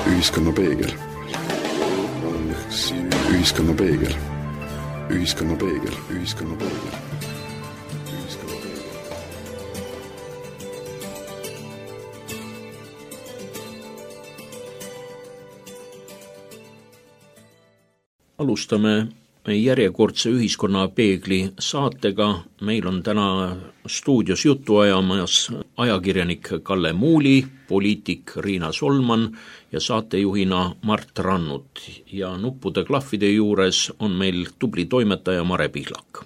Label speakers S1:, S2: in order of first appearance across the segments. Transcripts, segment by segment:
S1: Ühiskonna peegel. Ühiskonna peegel. Ühiskonna peegel. Ühiskonna peegel.
S2: Alustame järjekordse Ühiskonnapeegli saatega. Meil on täna stuudios juttu ajamas ajakirjanik Kalle Muuli, poliitik Riina Solman ja saatejuhina Mart Rannut. Ja nuppude klahvide juures on meil tubli toimetaja Mare Pihlak.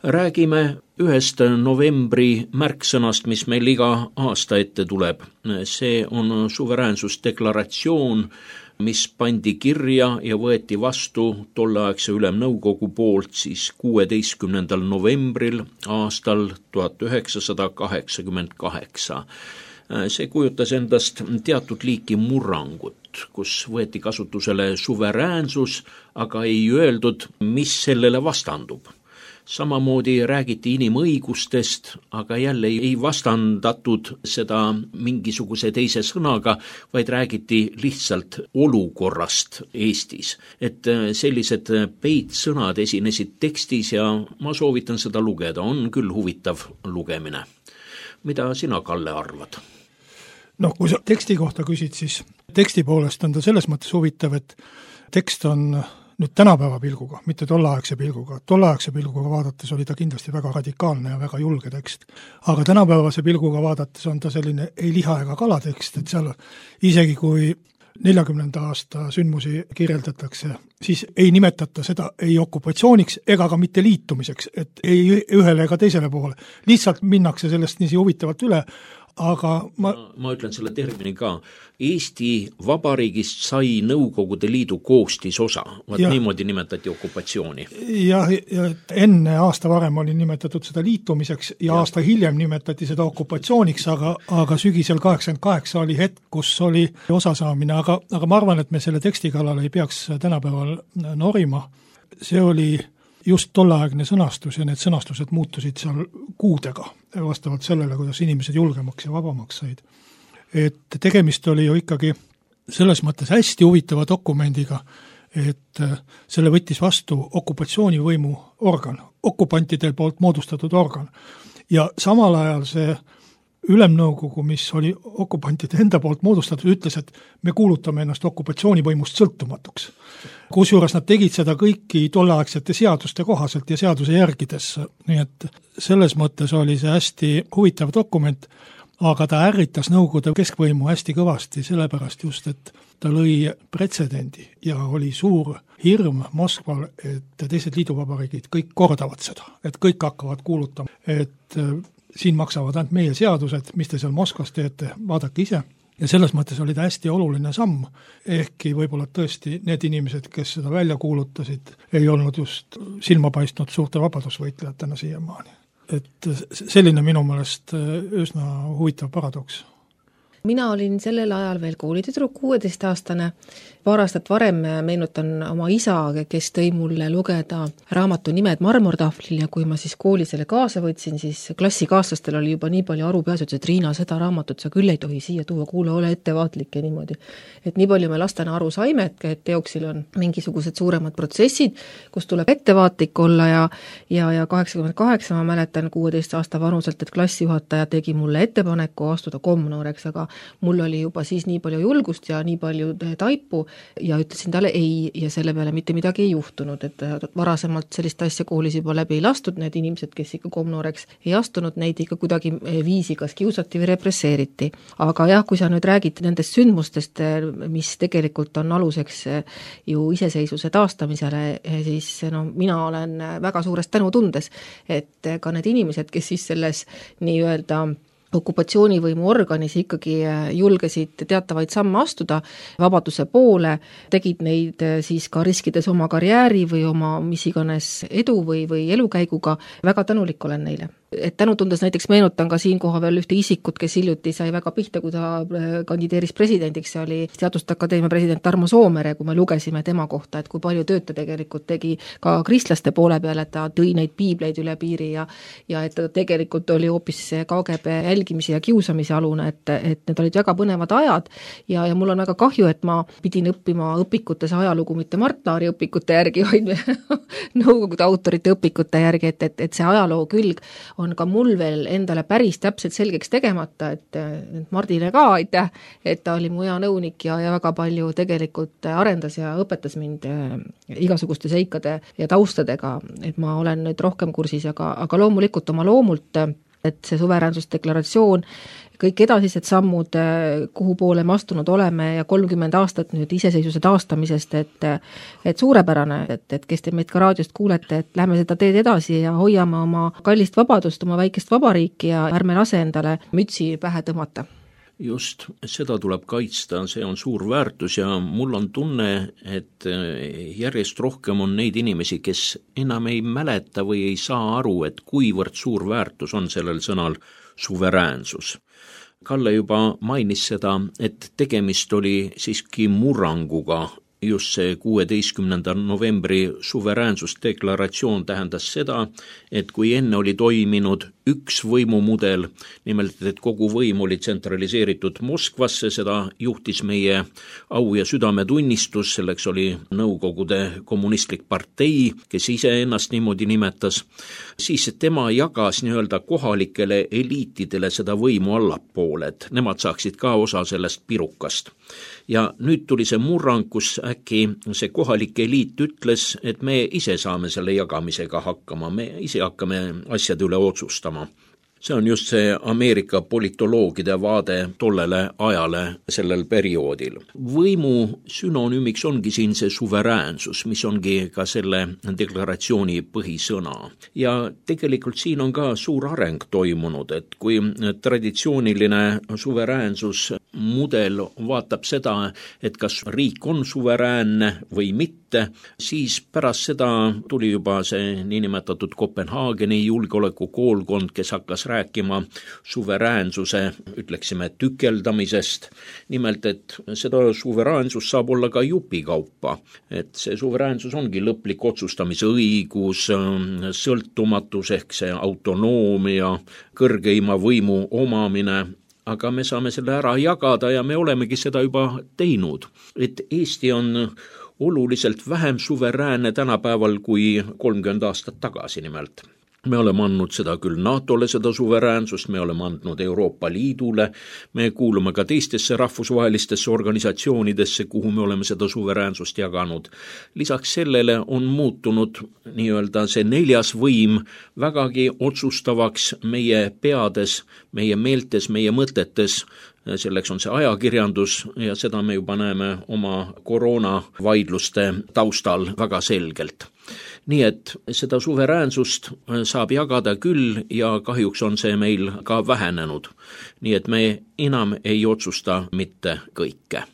S2: Räägime ühest novembri märksõnast, mis meil iga aasta ette tuleb. See on suveräänsusdeklaratsioon, mis pandi kirja ja võeti vastu tolleaegse Ülemnõukogu poolt siis 16. novembril aastal 1988. See kujutas endast teatud liiki murrangut, kus võeti kasutusele suveräänsus, aga ei öeldud, mis sellele vastandub. Samamoodi räägiti inimõigustest, aga jälle ei vastandatud seda mingisuguse teise sõnaga, vaid räägiti lihtsalt olukorrast Eestis. Et sellised peitsõnad esinesid tekstis ja ma soovitan seda lugeda, on küll huvitav lugemine. Mida sina, Kalle, arvad?
S3: No, kui sa teksti kohta küsid, siis teksti poolest on ta selles mõttes huvitav, et tekst on nüüd tänapäeva pilguga, mitte tolleaegse pilguga. Tolleaegse pilguga vaadates oli ta kindlasti väga radikaalne ja väga julge tekst. Aga tänapäevase pilguga vaadates on ta selline ei liha ega kala tekst, et seal isegi kui 40. aasta sündmusi kirjeldatakse, siis ei nimetata seda ei okupatsiooniks ega ka mitte liitumiseks, et ei ühele ega teisele poole. Lihtsalt minnakse sellest nii huvitavalt üle, aga ma
S2: ütlen selle termini ka. Eesti Vabariigist sai Nõukogude Liidu koostisosa. Niimoodi nimetati okupatsiooni.
S3: Ja enne aasta varem oli nimetatud seda liitumiseks ja aasta hiljem nimetati seda okupatsiooniks, aga sügisel 88 oli hetk, kus oli osasaamine, aga ma arvan, et me selle teksti kallal ei peaks tänapäeval norima. See oli just tolleaegne sõnastus ja need sõnastused muutusid seal kuudega vastavalt sellele, kuidas inimesed julgemaks ja vabamaks said. Et tegemist oli ju ikkagi selles mõttes hästi huvitava dokumendiga, et selle võttis vastu okupatsioonivõimu organ, okupantidel poolt moodustatud organ. Ja samal ajal see Ülemnõukogu, mis oli okupantide enda poolt moodustatud, ütles, et me kuulutame ennast okupatsioonivõimust sõltumatuks. Kusjuures nad tegid seda kõiki tolleaegsete seaduste kohaselt ja seaduse järgides. Nii et selles mõttes oli see hästi huvitav dokument, aga ta ärritas Nõukogude keskvõimu hästi kõvasti, sellepärast just, et ta lõi pretsedendi ja oli suur hirm Moskval, et teised liiduvabariigid kõik kordavad seda, et kõik hakkavad kuulutama, et siin maksavad ainult meie seadused, mis te seal Moskvas teete, vaadake ise. Ja selles mõttes oli ta hästi oluline samm, ehkki võib-olla tõesti need inimesed, kes seda välja kuulutasid, ei olnud just silma paistnud suurte vabadusvõitlejatena siiamaani. Et selline minu meelest üsna huvitav paradoks.
S4: Mina olin sellel ajal veel koolitüdruk, 16-aastane. Paar aastat varem meenutan oma isa, kes tõi mulle lugeda raamatu Nimed marmortahvlil ja kui ma siis kooli selle kaasa võtsin, siis klassikaaslastel oli juba nii palju arupeas, et Riina, seda raamatut sa küll ei tohi siia tuua, kuule, ole ettevaatlik ja niimoodi. Et nii palju me lastena aru saime, et teoksil on mingisugused suuremad protsessid, kus tuleb ettevaatlik olla ja 88 ma mäletan 16 aasta vanuselt, et klassijuhataja tegi mulle ettepaneku astuda komnooreks, aga mul oli juba siis nii palju julgust ja nii palju taipu ja ütlesin talle ei ja selle peale mitte midagi ei juhtunud, et varasemalt sellist asja koolis juba läbi ei lastud, need inimesed, kes ikka komnooreks ei astunud, neid ikka kuidagi viisi kas kiusati või represseeriti. Aga jah, kui sa nüüd räägid nendest sündmustest, mis tegelikult on aluseks ju iseseisvuse taastamisele, siis mina olen väga suurest tänutundes, et ka need inimesed, kes siis selles nii-öelda okupatsioonivõimu organis ikkagi julgesid teatavaid samme astuda vabaduse poole, tegid neid siis ka riskides oma karjääri või oma mis iganes edu või elukäiguga, väga tänulik olen neile. et tänutundes näiteks meenutan ka siinkohal veel ühte isikut, kes hiljuti sai väga pihta, kui ta kandideeris presidendiks, see oli Teaduste Akadeemia president Tarmo Soomere, kui me lugesime tema kohta, et kui palju tööd ta tegelikult tegi ka kristlaste poole peal, et ta tõi neid piibleid üle piiri ja et ta tegelikult oli hoopis KGB jälgimise ja kiusamise alune, et need olid väga põnevad ajad ja mul on väga kahju, et ma pidin õppima õpikutes ajalugu mitte Mart Laari õpikute järgi, vaid nõukogude autorite õpikute järgi, et see ajaloo külg on ka mul veel endale päris täpselt selgeks tegemata, et Mardile ka aitäh, et ta oli mu hea nõunik ja väga palju tegelikult arendas ja õpetas mind igasuguste seikade ja taustadega, et ma olen nüüd rohkem kursis, aga loomulikult oma loomult, et see suveräänsusdeklaratsioon, kõik edasised sammud, kuhu poole me astunud oleme ja 30 aastat nüüd iseseisvuse taastamisest, et suurepärane, et kes te meid ka raadiost kuulete, et lähme seda teed edasi ja hoiame oma kallist vabadust, oma väikest vabariiki ja ärme lase endale mütsi pähe tõmmata.
S2: Just, seda tuleb kaitsta, see on suur väärtus ja mul on tunne, et järjest rohkem on neid inimesi, kes enam ei mäleta või ei saa aru, et kuivõrd suur väärtus on sellel sõnal suveräänsus. Kalle juba mainis seda, et tegemist oli siiski murranguga, just see 16. novembri suveräänsusdeklaratsioon tähendas seda, et kui enne oli toiminud üks võimumudel, nimelt et kogu võim oli tsentraliseeritud Moskvasse, seda juhtis meie au- ja südametunnistus, selleks oli Nõukogude kommunistlik partei, kes ise ennast niimoodi nimetas, siis tema jagas nii-öelda kohalikele eliitidele seda võimu allapoole, et nemad saaksid ka osa sellest pirukast. Ja nüüd tuli see murrang, kus äkki see kohalik eliit ütles, et me ise saame selle jagamisega hakkama, me ise hakkame asjade üle otsustama. See on just see Ameerika politoloogide vaade tollele ajale sellel perioodil. Võimu sünonüümiks ongi siin see suveräänsus, mis ongi ka selle deklaratsiooni põhisõna. Ja tegelikult siin on ka suur areng toimunud, et kui traditsiooniline suveräänsus mudel vaatab seda, et kas riik on suveräänne või mitte, siis pärast seda tuli juba see niinimetatud Kopenhaageni julgeolekukoolkond, kes hakkas rääkima suveräänsuse, ütleksime, tükeldamisest. Nimelt, et seda suveräänsust saab olla ka jupikaupa. Et see suveräänsus ongi lõplik otsustamise õigus, sõltumatus ehk see autonoomia, kõrgeima võimu omamine, aga me saame selle ära jagada ja me olemegi seda juba teinud. Et Eesti on oluliselt vähem suveräänne tänapäeval kui 30 aastat tagasi nimelt. Me oleme andnud seda küll NATO-le seda suveräänsust, me oleme andnud Euroopa Liidule, me kuulume ka teistesse rahvusvahelistesse organisatsioonidesse, kuhu me oleme seda suveräänsust jaganud. Lisaks sellele on muutunud nii-öelda see neljas võim vägagi otsustavaks meie peades, meie meeltes, meie mõtetes. Selleks on see ajakirjandus ja seda me juba näeme oma koroonavaidluste taustal väga selgelt. Nii et seda suveräänsust saab jagada küll ja kahjuks on see meil ka vähenenud. Nii et me enam ei otsusta mitte kõike.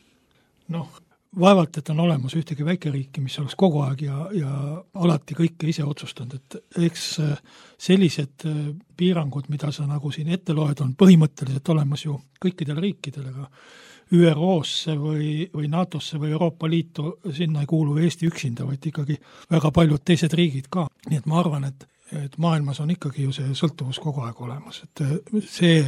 S3: Vaevalt, et on olemas ühtegi väikeriiki, mis oleks kogu aeg ja alati kõike ise otsustanud, et eks sellised piirangud, mida sa nagu siin ette loed, on põhimõtteliselt olemas ju kõikidel riikidel, aga ÜRO-sse või NATO-sse või Euroopa Liitu, sinna ei kuulu Eesti üksinda, vaid ikkagi väga paljud teised riigid ka. Nii et ma arvan, et maailmas on ikkagi ju see sõltuvus kogu aeg olemas. Et see,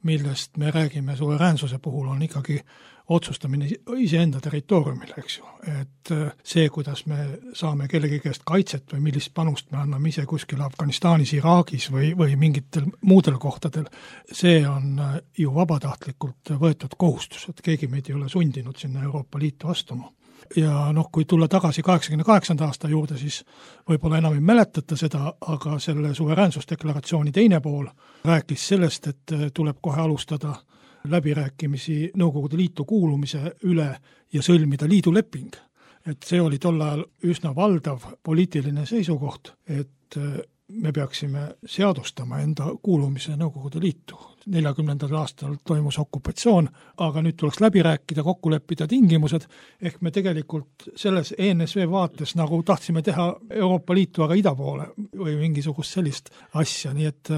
S3: millest me räägime suveräänsuse puhul, on ikkagi otsustamine iseenda territooriumil, eks ju. Et see, kuidas me saame kellegi käest kaitset või millist panust me anname ise kuskil Afganistanis, Iraagis või mingitel muudel kohtadel, see on ju vabatahtlikult võetud kohustus, et keegi meid ei ole sundinud sinna Euroopa Liitu astuma. Ja kui tulla tagasi 88. aasta juurde, siis võib-olla enam ei mäletata seda, aga selle suveräänsusdeklaratsiooni teine pool rääkis sellest, et tuleb kohe alustada läbirääkimisi Nõukogude Liitu kuulumise üle ja sõlmida liiduleping. Et see oli tol ajal üsna valdav poliitiline seisukoht, et me peaksime seadustama enda kuulumise Nõukogude Liitu. 40. aastal toimus okupatsioon, aga nüüd tuleks läbi rääkida, kokku leppida tingimused, ehk me tegelikult selles ENSV vaates nagu tahtsime teha Euroopa Liitu aga ida poole või mingisugust sellist asja, nii et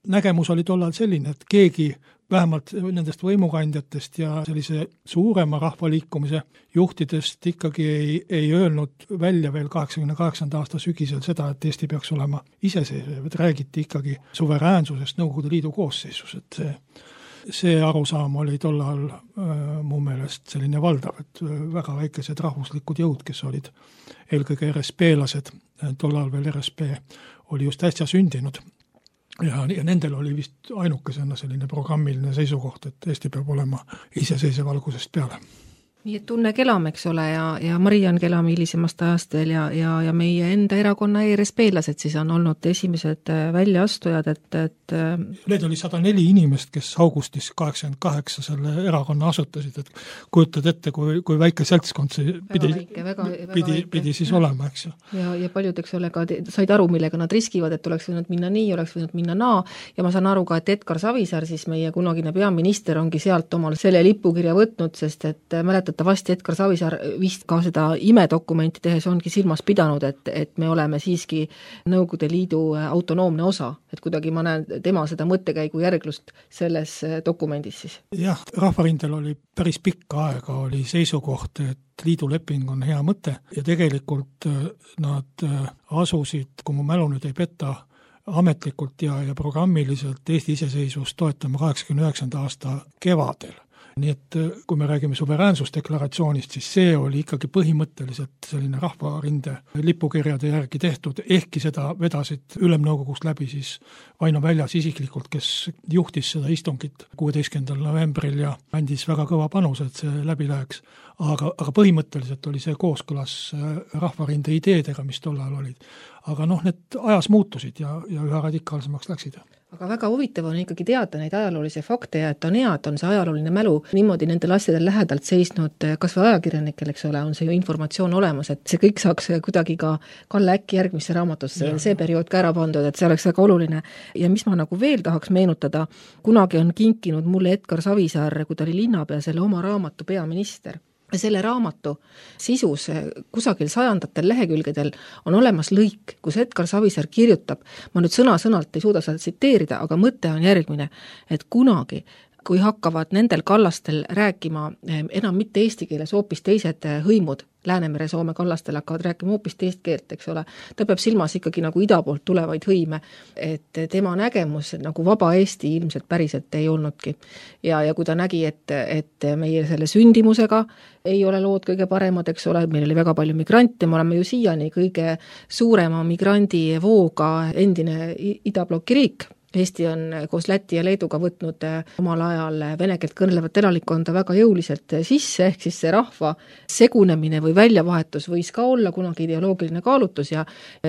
S3: nägemus oli tollal selline, et keegi vähemalt nendest võimukandjatest ja sellise suurema rahvaliikumise juhtidest ikkagi ei öelnud välja veel 88. aasta sügisel seda, et Eesti peaks olema iseseisev, et räägiti ikkagi suveräänsusest Nõukogude Liidu koosseisus, et see arusaam oli tollal mu meelest selline valdav, et väga väikesed rahvuslikud jõud, kes olid eelkõige RSP-lased, tollal veel RSP oli just äsja sündinud. Ja nendel oli vist ainukesena selline programmiline seisukoht, et Eesti peab olema iseseisev algusest peale.
S4: Nii et Tunne Kelam, eks ole, ja Mariann Kelam hilisemast ajast veel ja meie enda erakonna ERSP-lased siis on olnud esimesed väljaastujad, et
S3: Need oli 104 inimest, kes augustis 88 selle erakonna asutasid, et kujutad ette, kui väike seltskond see pidi siis olema, eks ju.
S4: Ja paljud, eks ole, ka said aru, millega nad riskivad, et oleks võinud minna nii, oleks võinud minna naa, ja ma saan aru ka, et Edgar Savisaar, siis meie kunagine peaminister, ongi sealt omal selle lipukirja võtnud, sest et mäletatavasti Edgar Savisaar vist ka seda imedokumenti tehes ongi silmas pidanud, et me oleme siiski Nõukogude Liidu autonoomne osa, et kuidagi ma näen tema seda mõttekäigu järglust selles dokumendis siis.
S3: Jah, Rahvarindel oli päris pikka aega oli seisukoht, et liiduleping on hea mõte ja tegelikult nad asusid, kui mu mälu nüüd ei peta, ametlikult ja programmiliselt Eesti iseseisvust toetama 89. aasta kevadel. Nii et kui me räägime suveräänsusdeklaratsioonist, siis see oli ikkagi põhimõtteliselt selline Rahvarinde lipukirjade järgi tehtud, ehkki seda vedasid Ülemnõukogust läbi siis Vaino Väljas isiklikult, kes juhtis seda istungit 16. novembril ja andis väga kõva panuse, et see läbi läheks. Aga põhimõtteliselt oli see kooskõlas Rahvarinde ideedega, mis tollal olid. Aga need ajas muutusid ja üha radikaalsemaks läksid.
S4: Aga väga huvitav on ikkagi teada neid ajaloolisi fakte ja et on hea, et on see ajalooline mälu niimoodi nendel asjadel lähedalt seisnud, kas või ajakirjanikel, eks ole, on see ju informatsioon olemas, et see kõik saaks kuidagi ka Kalle Äkki järgmisse raamatusse see periood ka ära pandud, et see oleks väga oluline. Ja mis ma nagu veel tahaks meenutada, kunagi on kinkinud mulle Edgar Savisaar, kui ta oli linnapea, selle oma raamatu Peaminister. Selle raamatu sisus kusagil 100. lehekülgedel on olemas lõik, kus Edgar Savisaar kirjutab, ma nüüd sõna-sõnalt ei suuda seda tsiteerida, aga mõte on järgmine, et kunagi, kui hakkavad nendel kallastel rääkima enam mitte eesti keeles, hoopis teised hõimud, Läänemere Soome kallastel hakkavad rääkima hoopis teist keelt, eks ole, ta peab silmas ikkagi nagu ida poolt tulevaid hõime, et tema nägemus nagu vaba Eesti ilmselt päriselt ei olnudki. Ja kui ta nägi, et meie selle sündimusega ei ole lood kõige paremad, eks ole, meil oli väga palju migrante, me oleme ju siiani kõige suurema migrandi vooga endine idablokki riik. Eesti on koos Läti ja Leeduga võtnud omal ajal vene keelt kõnelevat elanikkonda väga jõuliselt sisse, ehk siis see rahva segunemine või väljavahetus võis ka olla kunagi ideoloogiline kaalutus ja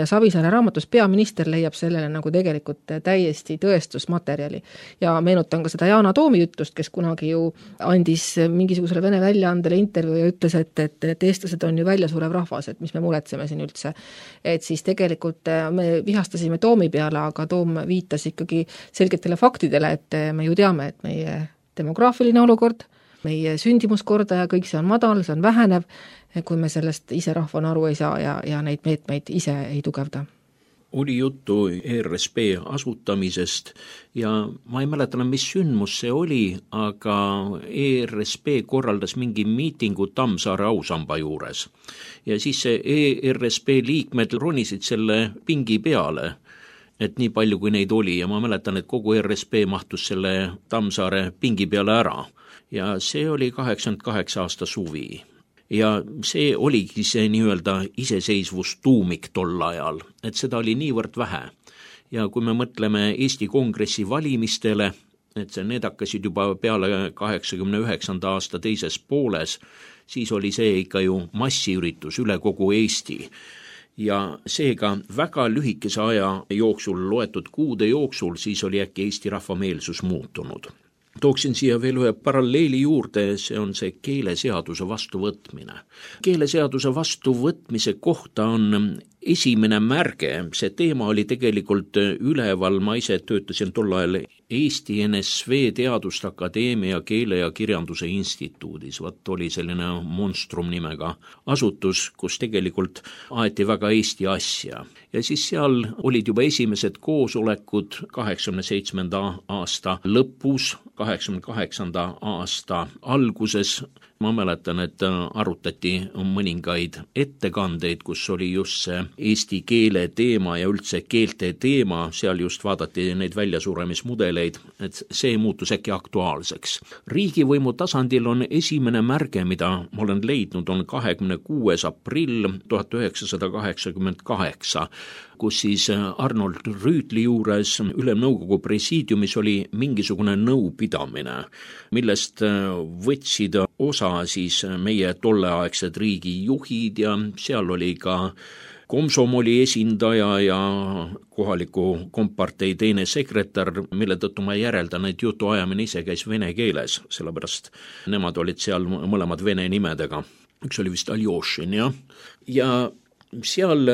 S4: Savisaare raamatus Peaminister leiab sellele nagu tegelikult täiesti tõestusmaterjali. Ja meenutan ka seda Yana Toomi ütlust, kes kunagi ju andis mingisugusele vene väljaandele intervjuu ja ütles, et eestlased on ju väljasurev rahvas, et mis me muretseme siin üldse. Et siis tegelikult me vihastasime Toomi peale, aga Toom viitas ikkagi selgetele faktidele, et me ju teame, et meie demograafiline olukord, meie sündimuskordaja, kõik see on madal, see on vähenev, kui me sellest ise rahvana aru ei saa ja neid meetmeid ise ei tugevda.
S2: Oli juttu ERSP asutamisest ja ma ei mäleta, mis sündmus see oli, aga ERSP korraldas mingi miitingu Tammsaare ausamba juures. Ja siis see ERSP liikmed ronisid selle pingi peale, et nii palju kui neid oli ja ma mäletan, et kogu RSP mahtus selle Tammsaare pingi peale ära ja see oli 88 aasta suvi. Ja see oligi see nii-öelda iseseisvustuumik tol ajal, et seda oli niivõrd vähe. Ja kui me mõtleme Eesti Kongressi valimistele, et need hakkasid juba peale 89. aasta teises pooles, siis oli see ikka ju massiüritus üle kogu Eesti. Ja seega väga lühikese aja jooksul, loetud kuude jooksul, siis oli äkki Eesti rahvameelsus muutunud. Tooksin siia veel ühe paralleeli juurde, see on see keeleseaduse vastuvõtmine. Keeleseaduse vastuvõtmise kohta on esimene märge, see teema oli tegelikult üleval, ma ise töötasin tol ajal Eesti NSV Teaduste Akadeemia Keele ja Kirjanduse Instituudis, oli selline monstrum nimega asutus, kus tegelikult aeti väga Eesti asja. Ja siis seal olid juba esimesed koosolekud 87. aasta lõpus, 88. aasta alguses. Ma mäletan, et arutati mõningaid ettekandeid, kus oli just see eesti keele teema ja üldse keelte teema, seal just vaadati neid väljasuremismudeleid, et see muutus äkki aktuaalseks. Riigivõimu tasandil on esimene märge, mida ma olen leidnud, on 26. aprill 1988, kus siis Arnold Rüütli juures Ülemnõukogu presiidiumis oli mingisugune nõupidamine, millest võtsid osa siis meie tolleaegsed riigijuhid ja seal oli ka komsomoli esindaja ja kohaliku kompartei teine sekretär, mille tõttu ma järeldan, et jutuajamine ise käis vene keeles, sellepärast nemad olid seal mõlemad vene nimedega. Üks oli vist Aljošin, ja seal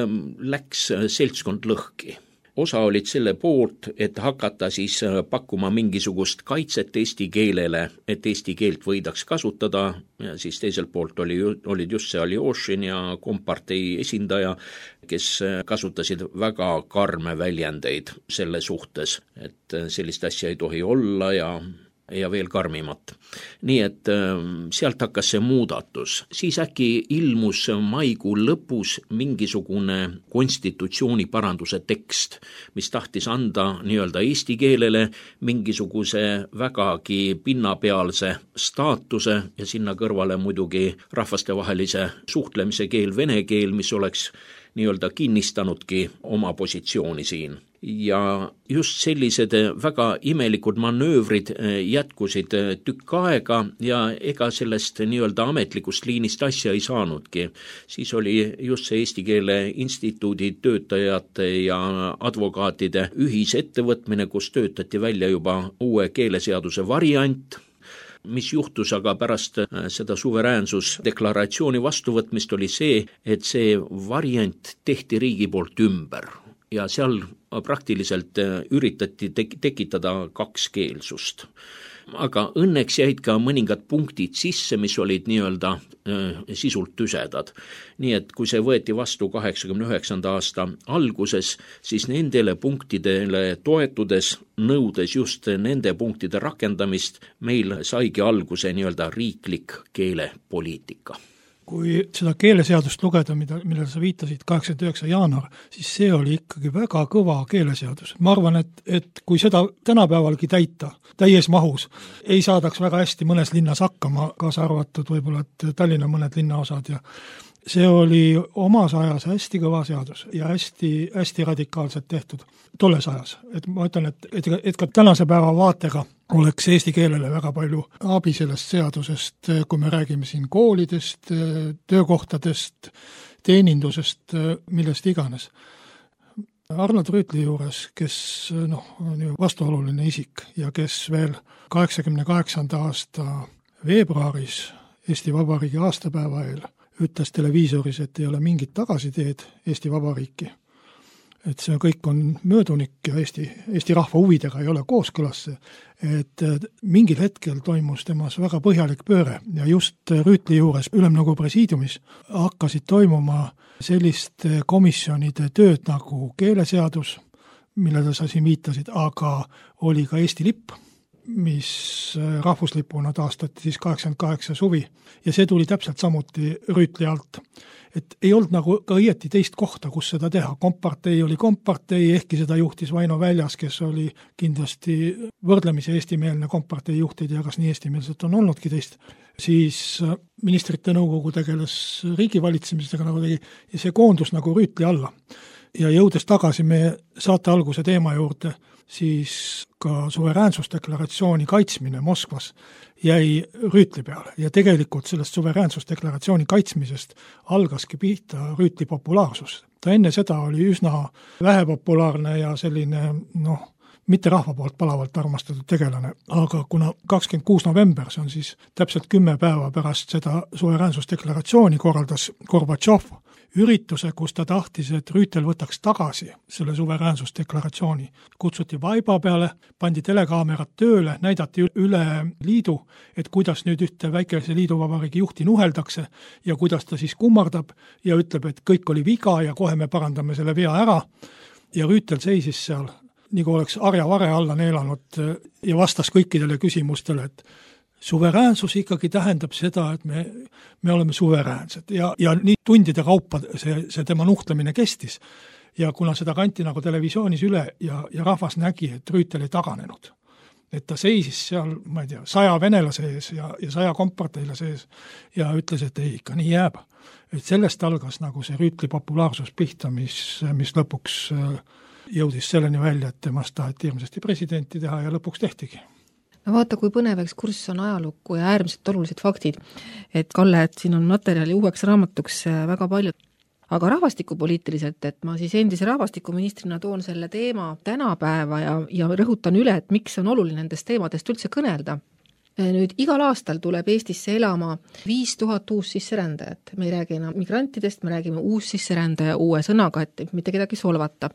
S2: läks seltskond lõhki. Osa olid selle poolt, et hakata siis pakkuma mingisugust kaitset eesti keelele, et eesti keelt võidaks kasutada, ja siis teiselt poolt olid just see Aljošin ja kompartei esindaja, kes kasutasid väga karme väljendeid selle suhtes, et sellist asja ei tohi olla ja veel karmimat. Nii et sealt hakkas see muudatus. Siis äkki ilmus maikuu lõpus mingisugune konstitutsiooni paranduse tekst, mis tahtis anda nii-öelda eesti keelele mingisuguse vägagi pinnapealse staatuse ja sinna kõrvale muidugi rahvastevahelise suhtlemise keel, vene keel, mis oleks nii-öelda kinnistanudki oma positsiooni siin. Ja just sellised väga imelikud manöövrid jätkusid tükk aega ja ega sellest nii-öelda ametlikust liinist asja ei saanudki. Siis oli just see Eesti Keele Instituudi töötajate ja advokaatide ühisettevõtmine, kus töötati välja juba uue keeleseaduse variant, mis juhtus aga pärast seda suveräänsusdeklaratsiooni vastuvõtmist oli see, et see variant tehti riigi poolt ümber ja seal praktiliselt üritati tekitada kakskeelsust. Aga õnneks jäid ka mõningad punktid sisse, mis olid nii-öelda sisult tüsedad. Nii et kui see võeti vastu 89. aasta alguses, siis nendele punktidele toetudes, nõudes just nende punktide rakendamist, meil saigi alguse nii-öelda riiklik keelepoliitika.
S3: Kui seda keeleseadust lugeda, millele sa viitasid 89. jaanuar, siis see oli ikkagi väga kõva keeleseadus. Ma arvan, et kui seda tänapäevalgi täita täies mahus, ei saadaks väga hästi mõnes linnas hakkama, kaasa arvatud võib-olla, et Tallinna mõned linnaosad ja see oli omas ajas hästi kõva seadus ja hästi radikaalselt tehtud tolles ajas. Et ma ütlen, et ka tänase päeva vaatega oleks eesti keelele väga palju abi sellest seadusest, kui me räägime siin koolidest, töökohtadest, teenindusest, millest iganes. Arnold Rüütli juures, kes on ju vastuoluline isik ja kes veel 88. aasta veebruaris Eesti Vabariigi aastapäeva eel ütles televiisoris, et ei ole mingit tagasiteed Eesti Vabariiki. Et see kõik on möödunik ja Eesti rahva huvidega ei ole kooskõlas. Et mingil hetkel toimus temas väga põhjalik pööre ja just Rüütli juures Ülemnõukogu presiidiumis hakkasid toimuma selliste komisjonide tööd nagu keeleseadus, millele sa siin viitasid, aga oli ka Eesti lipp, mis rahvuslipuna taastati siis 88 suvi ja see tuli täpselt samuti Rüütli alt. Et ei olnud nagu ka õieti teist kohta, kus seda teha. Kompartei oli kompartei, ehkki seda juhtis Vaino Väljas, kes oli kindlasti võrdlemisi eestimeelne kompartei juht, ei tea, kas nii eestimeelselt on olnudki teist. Siis ministrite nõukogu tegeles riigivalitsemisega nagu tegi ja see koondus nagu Rüütli alla. Ja jõudes tagasi meie saate alguse teema juurde, siis ka suveräänsusdeklaratsiooni kaitsmine Moskvas jäi Rüütli peale ja tegelikult sellest suveräänsusdeklaratsiooni kaitsmisest algaski pihta Rüütli populaarsus. Ta enne seda oli üsna vähepopulaarne ja selline, mitte rahva poolt palavalt armastatud tegelane, aga kuna 26. november, see on siis täpselt 10 päeva pärast seda suveräänsusdeklaratsiooni korraldas Gorbatšov ürituse, kus ta tahtis, et Rüütel võtaks tagasi selle suveräänsusdeklaratsiooni. Kutsuti vaiba peale, pandi telekaamerad tööle, näidati üle liidu, et kuidas nüüd ühte väikese liiduvabariigi juhti nuheldakse ja kuidas ta siis kummardab ja ütleb, et kõik oli viga ja kohe me parandame selle vea ära. Ja Rüütel seisis seal, nagu oleks arja-vare alla neelanud ja vastas kõikidele küsimustele, et suveräänsus ikkagi tähendab seda, et me oleme suveräänsed ja nii tundide kaupa see tema nuhtlemine kestis. Ja kuna seda kanti nagu televisioonis üle ja rahvas nägi, et Rüütel ei taganenud, et ta seisis seal, ma ei tea, 100 venelase ees ja 100 komparteilase ees ja ütles, et ei, ikka nii jääb. Et sellest algas nagu see Rüütli populaarsus pihta, mis lõpuks jõudis selleni välja, et temast taheti hirmsasti presidenti teha ja lõpuks tehtigi.
S4: No vaata, kui põnev ekskurss on ajalukku ja äärmiselt olulised faktid. Et Kalle, et siin on materjali uueks raamatuks väga palju. Aga rahvastikupoliitiliselt, et ma siis endise rahvastikuministrina toon selle teema tänapäeva ja rõhutan üle, et miks on oluline nendest teemadest üldse kõnelda. Nüüd igal aastal tuleb Eestisse elama 5000 uus sisserändajat. Me ei räägi enam migrantidest, me räägime uus sisserändaja uue sõnaga, et mitte kedagi solvata.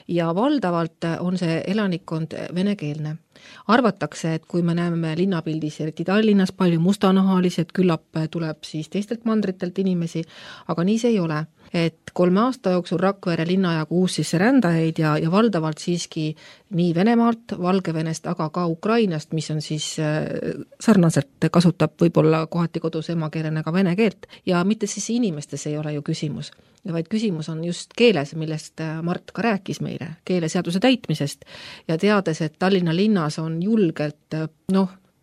S4: Ja valdavalt on see elanikkond venekeelne. Arvatakse, et kui me näeme linnapildis, eriti Tallinnas, palju mustanahalised, küllap tuleb siis teistelt mandritelt inimesi, aga nii see ei ole. Et 3 aasta jooksul Rakvere linnajagu uus sisserändajaid ja valdavalt siiski nii Venemaalt, Valgevenest, aga ka Ukrainast, mis on siis sarnaselt kasutab võib-olla kohati kodus emakeelena ka vene keelt. Ja mitte siis inimestes ei ole ju küsimus, vaid küsimus on just keeles, millest Mart ka rääkis meile, keeleseaduse täitmisest ja teades, et Tallinna linnas on julgelt,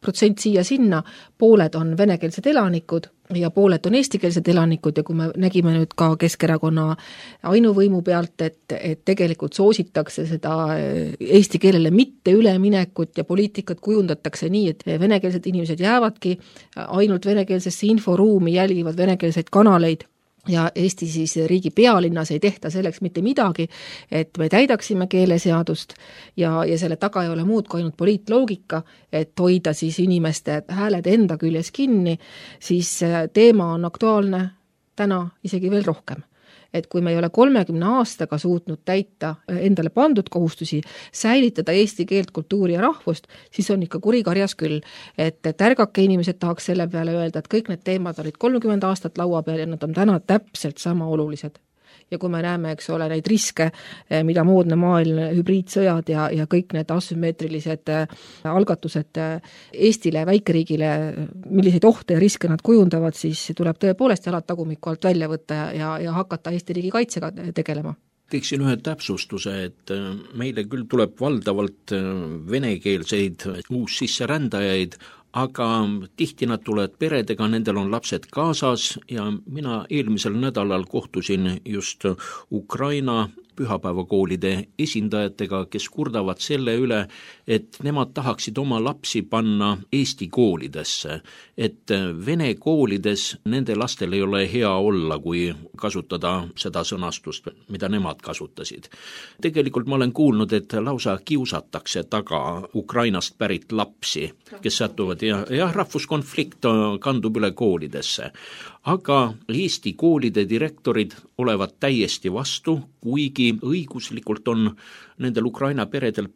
S4: protsent siia-sinna, pooled on venekeelsed elanikud ja pooled on eestikeelsed elanikud ja kui me nägime nüüd ka Keskerakonna ainuvõimu pealt, et tegelikult soositakse seda eesti keelele mitte üleminekut ja poliitikat kujundatakse nii, et venekeelsed inimesed jäävadki ainult venekeelsesse inforuumi, jälgivad venekeelseid kanaleid ja Eesti siis riigi pealinnas ei tehta selleks mitte midagi, et me täidaksime keeleseadust ja selle taga ei ole muud kui ainult poliitloogika, et hoida siis inimeste hääled enda küljes kinni, siis teema on aktuaalne täna isegi veel rohkem. Et kui me ei ole 30 aastaga suutnud täita endale pandud kohustusi, säilitada eesti keelt, kultuuri ja rahvust, siis on ikka kurikarjas küll. Et ärgake inimesed tahaks selle peale öelda, et kõik need teemad olid 30 aastat laua peal ja nad on täna täpselt sama olulised. Ja kui me näeme, eks ole, neid riske, mida moodne maailm, hübriidsõjad ja kõik need asümmeetrilised algatused Eestile, väikeriigile, milliseid ohte ja riske nad kujundavad, siis tuleb tõepoolest jalad tagumiku alt välja võtta ja hakata Eesti riigi kaitsega tegelema.
S2: Teeksin ühe täpsustuse, et meile küll tuleb valdavalt venekeelseid uussisserändajaid, aga tihti nad tulevad peredega, nendel on lapsed kaasas ja mina eelmisel nädalal kohtusin just Ukraina pühapäevakoolide esindajatega, kes kurdavad selle üle, et nemad tahaksid oma lapsi panna Eesti koolidesse, et vene koolides nende lastel ei ole hea olla, kui kasutada seda sõnastust, mida nemad kasutasid. Tegelikult ma olen kuulnud, et lausa kiusatakse taga Ukrainast pärit lapsi, kes satuvad ja rahvuskonflikt kandub üle koolidesse. Aga Eesti koolide direktorid olevat täiesti vastu, kuigi õiguslikult on nendel Ukraina peredel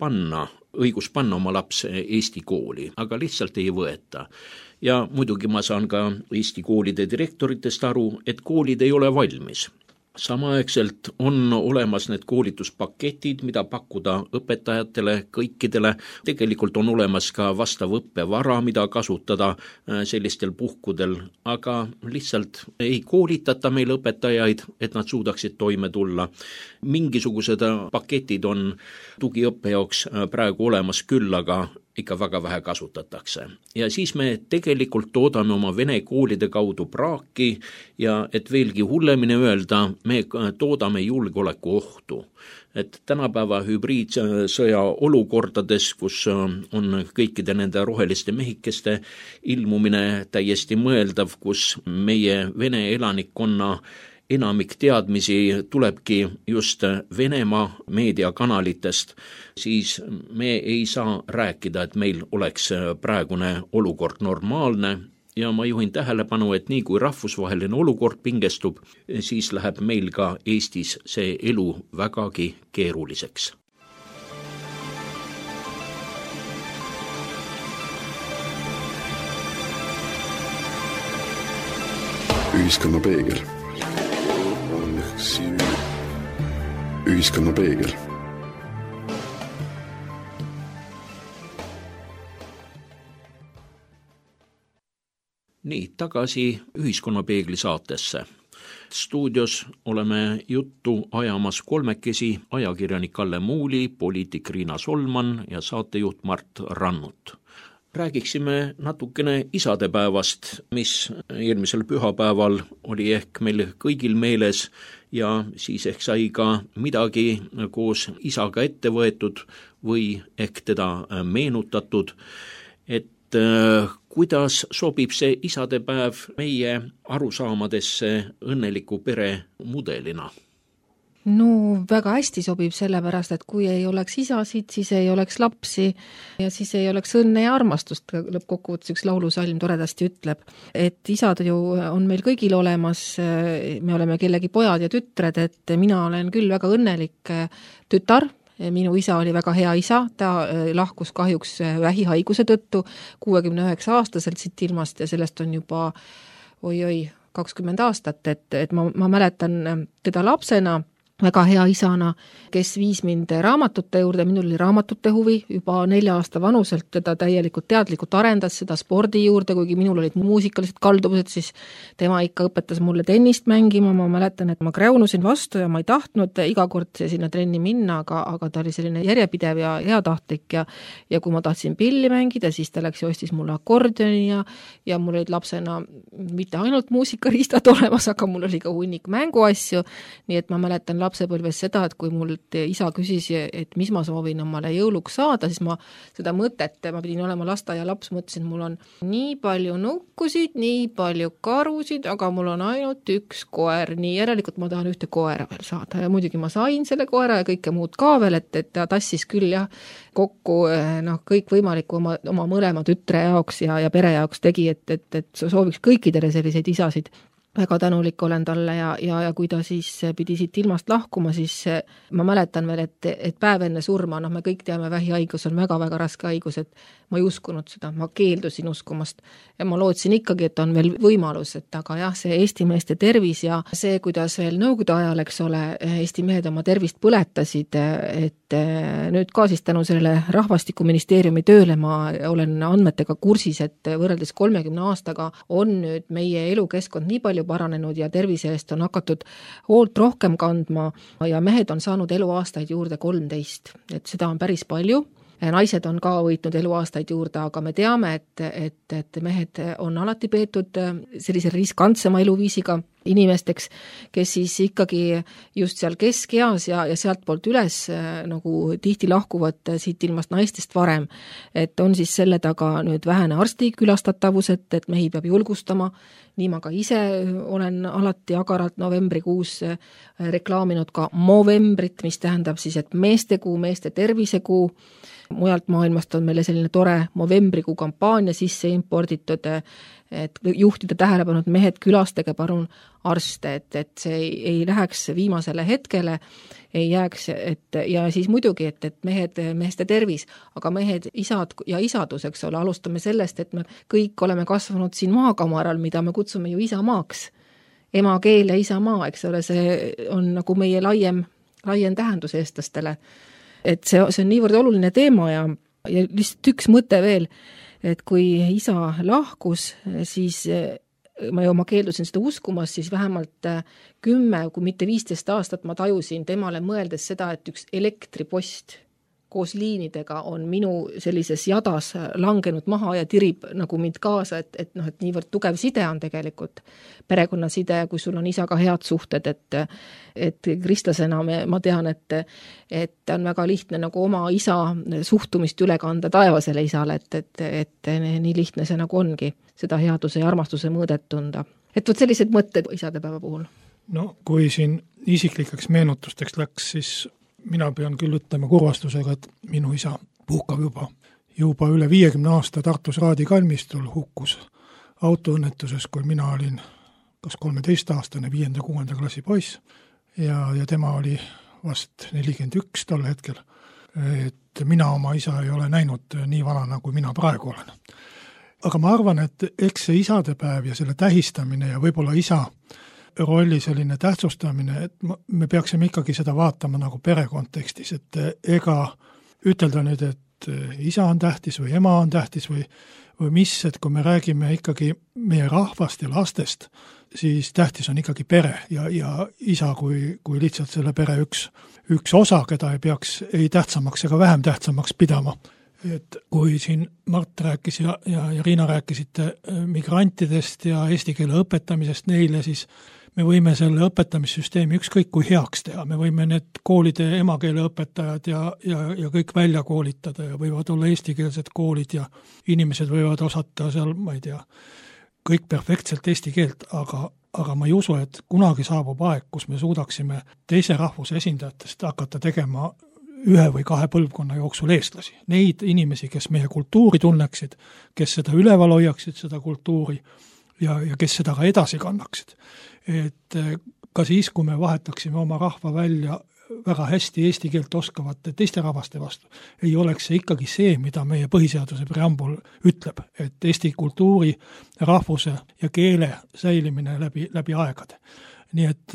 S2: õigus panna oma laps Eesti kooli, aga lihtsalt ei võeta. Ja muidugi ma saan ka Eesti koolide direktoritest aru, et koolid ei ole valmis. Samaaegselt on olemas need koolituspaketid, mida pakkuda õpetajatele, kõikidele. Tegelikult on olemas ka vastav õppevara, mida kasutada sellistel puhkudel, aga lihtsalt ei koolitata meil õpetajaid, et nad suudaksid toime tulla. Mingisugused paketid on tugiõppe jaoks praegu olemas küll, aga ikka väga vähe kasutatakse. Ja siis me tegelikult toodame oma vene koolide kaudu praaki ja et veelgi hullemini öelda, me toodame julgeoleku ohtu. Et tänapäeva hübriidsõja olukordades, kus on kõikide nende roheliste mehikeste ilmumine täiesti mõeldav, kus meie vene elanikkonna enamik teadmisi tulebki just Venemaa meediakanalitest, siis me ei saa rääkida, et meil oleks praegune olukord normaalne ja ma juhin tähelepanu, et nii kui rahvusvaheline olukord pingestub, siis läheb meil ka Eestis see elu vägagi keeruliseks.
S1: Ühiskonna peegel. Ühiskonna peegel.
S2: Nii, tagasi Ühiskonna peegli saatesse. Stuudios oleme juttu ajamas kolmekesi ajakirjanik Kalle Muuli, poliitik Riina Solman ja saatejuht Mart Rannut. Räägiksime natukene isadepäevast, mis eelmisel pühapäeval oli ehk meil kõigil meeles ja siis ehk sai ka midagi koos isaga ette võetud või ehk teda meenutatud, et kuidas sobib see isadepäev meie arusaamadesse õnneliku pere mudelina?
S4: No väga hästi sobib sellepärast, et kui ei oleks isasid, siis ei oleks lapsi ja siis ei oleks õnne ja armastust, lõppkokkuvõttes üks laulusalm toredasti ütleb. Et isad ju on meil kõigil olemas, me oleme kellegi pojad ja tütred, et mina olen küll väga õnnelik tütar, minu isa oli väga hea isa, ta lahkus kahjuks vähihaiguse tõttu 69-aastaselt siit ilmast ja sellest on juba 20 aastat, et ma mäletan teda lapsena, väga hea isana, kes viis mind raamatute juurde, minul oli raamatute huvi, juba 4 aasta vanuselt teda täielikult teadlikult arendas seda spordi juurde, kuigi minul olid muusikalised kalduvused, siis tema ikka õpetas mulle tennist mängima, ma mäletan, et ma kräunusin vastu ja ma ei tahtnud iga kord sinna trenni minna, aga ta oli selline järjepidev ja heatahtlik ja kui ma tahtsin pilli mängida, siis ta läks ja ostis mulle akordioni ja mul olid lapsena mitte ainult muusikariistad olemas, aga mul oli ka hunnik mänguasju, nii et ma mäletan lapsepõlves seda, et kui mul isa küsis, et mis ma soovin omale jõuluks saada, siis ma seda mõtet, ma pidin olema lasteaia laps, mõtlesin, mul on nii palju nukkusid, nii palju karusid, aga mul on ainult üks koer, nii järelikult ma tahan ühte koera veel saada ja muidugi ma sain selle koera ja kõike muud ka veel, et ta tassis küll kokku kõik võimalikku oma mõlema tütre jaoks ja pere jaoks tegi, et sooviks kõikidele selliseid isasid. Väga tänulik olen talle ja kui ta siis pidi siit ilmast lahkuma, siis ma mäletan veel, et päev enne surma, me kõik teame, vähihaigus on väga-väga raske haigus, et ma ei uskunud seda, ma keeldusin uskumast ja ma lootsin ikkagi, et on veel võimalus, et aga jah, see Eesti meeste tervis ja see, kuidas veel nõukogude ajal, eks ole, Eesti mehed oma tervist põletasid, et nüüd ka siis tänu sellele Rahvastikuministeeriumi tööle ma olen andmetega kursis, et võrreldes 30 aastaga on nüüd meie elukeskkond nii palju paranenud ja tervise eest on hakatud hoolt rohkem kandma ja mehed on saanud eluaastaid juurde 13, et seda on päris palju. Naised on ka võitnud eluaastaid juurde, aga me teame, et mehed on alati peetud sellise riskantsema eluviisiga inimesteks, kes siis ikkagi just seal keskeas ja sealt poolt üles nagu tihti lahkuvad siit ilmast naistest varem. Et on siis selle taga nüüd vähene arsti külastatavus, et mehi peab julgustama. Nii ma ka ise olen alati agaralt novembrikuus reklaaminud ka Movembrit, mis tähendab siis, et meestekuu, meeste tervisekuu. Mujalt maailmast on meile selline tore Movembrikuu kampaania sisse imporditud, et juhtida tähelepanu, et mehed külastage palun arste, et see ei läheks viimasele hetkele, ei jääks, ja siis muidugi, et meeste tervis, aga mehed, isad ja isadus, eks ole, alustame sellest, et me kõik oleme kasvanud siin maakamaral, mida me kutsume ju isamaaks. Emakeel ja isamaa, eks ole, see on nagu meie laiem tähendus eestlastele. Et see on niivõrd oluline teema ja lihtsalt üks mõte veel, et kui isa lahkus, siis ma keeldusin seda uskumas, siis vähemalt 10, kui mitte 15 aastat ma tajusin temale mõeldes seda, et üks elektripost koos liinidega on minu sellises jadas langenud maha ja tirib nagu mind kaasa, et niivõrd tugev side on tegelikult perekonnaside, kui sul on isaga head suhted, et kristlasena ma tean, et on väga lihtne nagu oma isa suhtumist üle kanda taevasele isale, et nii lihtne see nagu ongi, seda headuse ja armastuse mõõdet tunda. Et võt sellised mõtted isadepäeva puhul.
S3: No kui siin isiklikeks meenutusteks läks, siis mina pean küll ütlema kurvastusega, et minu isa puhkab juba üle 50 aasta Tartus Raadi kalmistul hukkus autoõnnetuses, kui mina olin kas 13-aastane, 5.–6. klassi poiss ja tema oli vast 41 tol hetkel. Et mina oma isa ei ole näinud nii vanana, kui mina praegu olen. Aga ma arvan, et eks see isadepäev ja selle tähistamine ja võib-olla isa rolli selline tähtsustamine, et me peaksime ikkagi seda vaatama nagu pere kontekstis, et ega ütelda nüüd, et isa on tähtis või ema on tähtis või mis, et kui me räägime ikkagi meie rahvast ja lastest, siis tähtis on ikkagi pere ja isa kui lihtsalt selle pere üks osa, keda ei peaks ei tähtsamaks ega vähem tähtsamaks pidama. Et kui siin Mart rääkis ja Riina rääkisite migrantidest ja eesti keele õpetamisest neile, siis me võime selle õpetamissüsteemi ükskõik kui heaks teha, me võime need koolide emakeele õpetajad ja kõik välja koolitada ja võivad olla eestikeelsed koolid ja inimesed võivad osata seal, ma ei tea, kõik perfektselt eesti keelt, aga ma ei usu, et kunagi saabub aeg, kus me suudaksime teise rahvuse esindajatest hakata tegema 1 või 2 põlvkonna jooksul eestlasi. Neid inimesi, kes meie kultuuri tunneksid, kes seda üleval hoiaksid, seda kultuuri ja kes seda ka edasi kannaksid. Et ka siis, kui me vahetaksime oma rahva välja väga hästi eesti keelt oskavate teiste rahvaste vastu, ei oleks see ikkagi see, mida meie põhiseaduse preambul ütleb, et eesti kultuuri, rahvuse ja keele säilimine läbi aegade. Nii et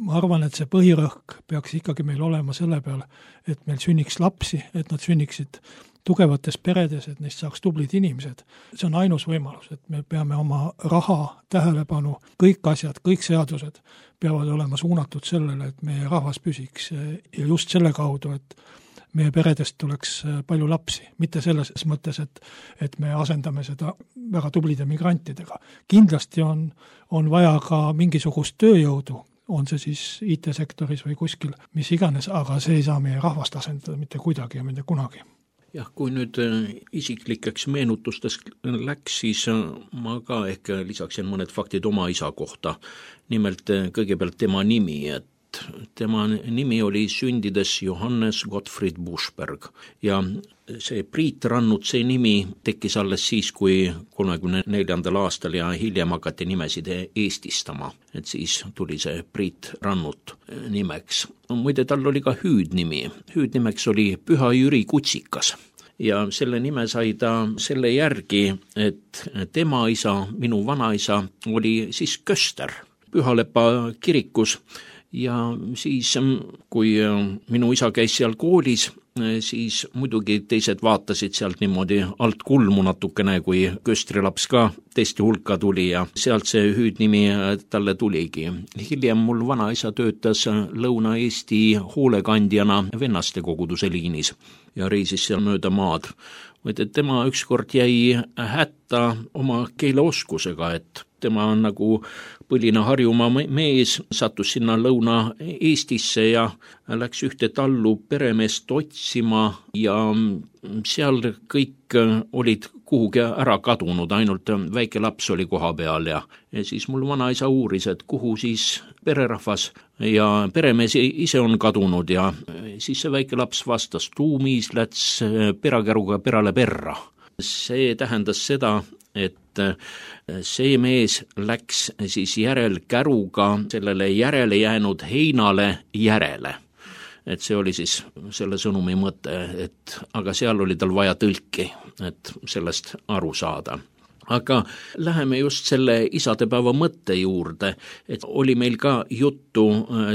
S3: ma arvan, et see põhirõhk peaks ikkagi meil olema selle peale, et meil sünniks lapsi, et nad sünniksid tugevates peredes, et neist saaks tublid inimesed. See on ainus võimalus, et me peame oma raha, tähelepanu, kõik asjad, kõik seadused peavad olema suunatud sellele, et meie rahvas püsiks ja just selle kaudu, et meie peredest tuleks palju lapsi, mitte selles mõttes, et me asendame seda väga tublide migrantidega. Kindlasti on vaja ka mingisugust tööjõudu, on see siis IT-sektoris või kuskil, mis iganes, aga see ei saa meie rahvast asendada mitte kuidagi ja mitte kunagi.
S2: Jah, kui nüüd isiklikeks meenutustest läks, siis ma ka ehk lisaksin mõned faktid oma isa kohta. Nimelt kõigepealt tema nimi, et tema nimi oli sündides Johannes Gottfried Buschberg ja see Priit Rannut, see nimi tekkis alles siis, kui 34. aastal ja hiljem hakati nimesid eestistama, et siis tuli see Priit Rannut nimeks. Muide, tal oli ka hüüdnimi, hüüdnimeks oli Püha Jüri Kutsikas ja selle nime sai ta selle järgi, et tema isa, minu vanaisa, oli siis köster Pühalepa kirikus. Ja siis, kui minu isa käis seal koolis, siis muidugi teised vaatasid sealt niimoodi alt kulmu natukene, kui köstrilaps ka teiste hulka tuli ja sealt see hüüdnimi talle tuligi. Hiljem mul vanaisa töötas Lõuna-Eesti hoolekandjana Vennaste koguduse liinis ja reisis seal mööda maad. Et tema ükskord jäi hätta oma keeleoskusega, et tema on nagu põline Harjumaa mees, sattus sinna Lõuna-Eestisse ja läks ühte tallu peremeest otsima ja seal kõik olid kuhugi ära kadunud, ainult väike laps oli koha peal ja siis mul vanaisa uuris, et kuhu siis pererahvas ja peremees ise on kadunud ja siis see väike laps vastas, tuumis läts perakäruga perale perra. See tähendas seda, et see mees läks siis järelkäruga sellele järele jäänud heinale järele. Et see oli siis selle sõnumi mõte, et aga seal oli tal vaja tõlki, et sellest aru saada. Aga läheme just selle isadepäeva mõtte juurde, et oli meil ka juttu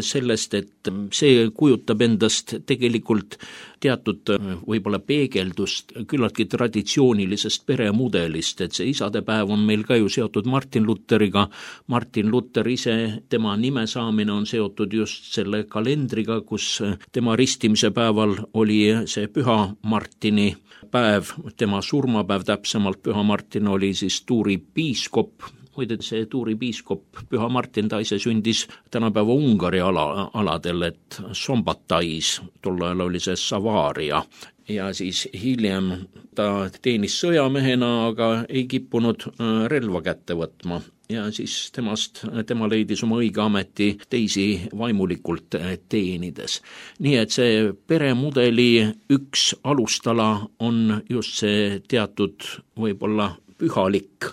S2: sellest, et see kujutab endast tegelikult teatud võib-olla peegeldust küllaltki traditsioonilisest peremudelist, et see isadepäev on meil ka ju seotud Martin Lutheriga. Martin Luther ise, tema nime saamine on seotud just selle kalendriga, kus tema ristimise päeval oli see Püha Martini päev, tema surmapäev täpsemalt, Püha Martin oli siis Tuuri piiskop, muide see Tuuri piiskop Püha Martin, ta ise sündis tänapäeva Ungari aladel, et Sombatais, tol ajal oli see Savaaria ja siis hiljem ta teenis sõjamehena, aga ei kippunud relva kätte võtma ja siis tema leidis oma õige ameti teisi vaimulikult teenides. Nii et see peremudeli üks alustala on just see teatud võib-olla pühalik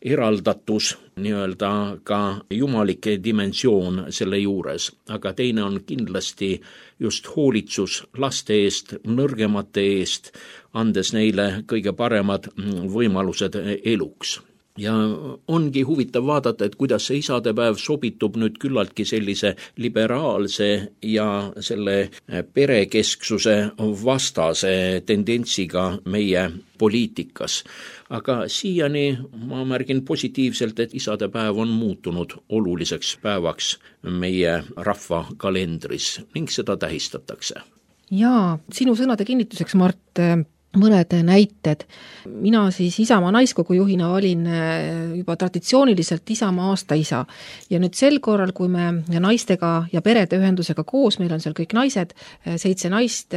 S2: eraldatus, nii-öelda ka jumalike dimensioon selle juures, aga teine on kindlasti just hoolitsus laste eest, nõrgemate eest, andes neile kõige paremad võimalused eluks. Ja ongi huvitav vaadata, et kuidas see isadepäev sobitub nüüd küllaltki sellise liberaalse ja selle perekesksuse vastase tendentsiga meie poliitikas. Aga siiani ma märgin positiivselt, et isadepäev on muutunud oluliseks päevaks meie rahva kalendris ning seda tähistatakse.
S4: Jaa, sinu sõnade kinnituseks, Mart, mõned näited. Mina siis Isamaa naiskogu juhina olin juba traditsiooniliselt Isamaa aasta isa. Ja nüüd sel korral, kui me naistega ja perede ühendusega koos, meil on seal kõik naised, 7 naist,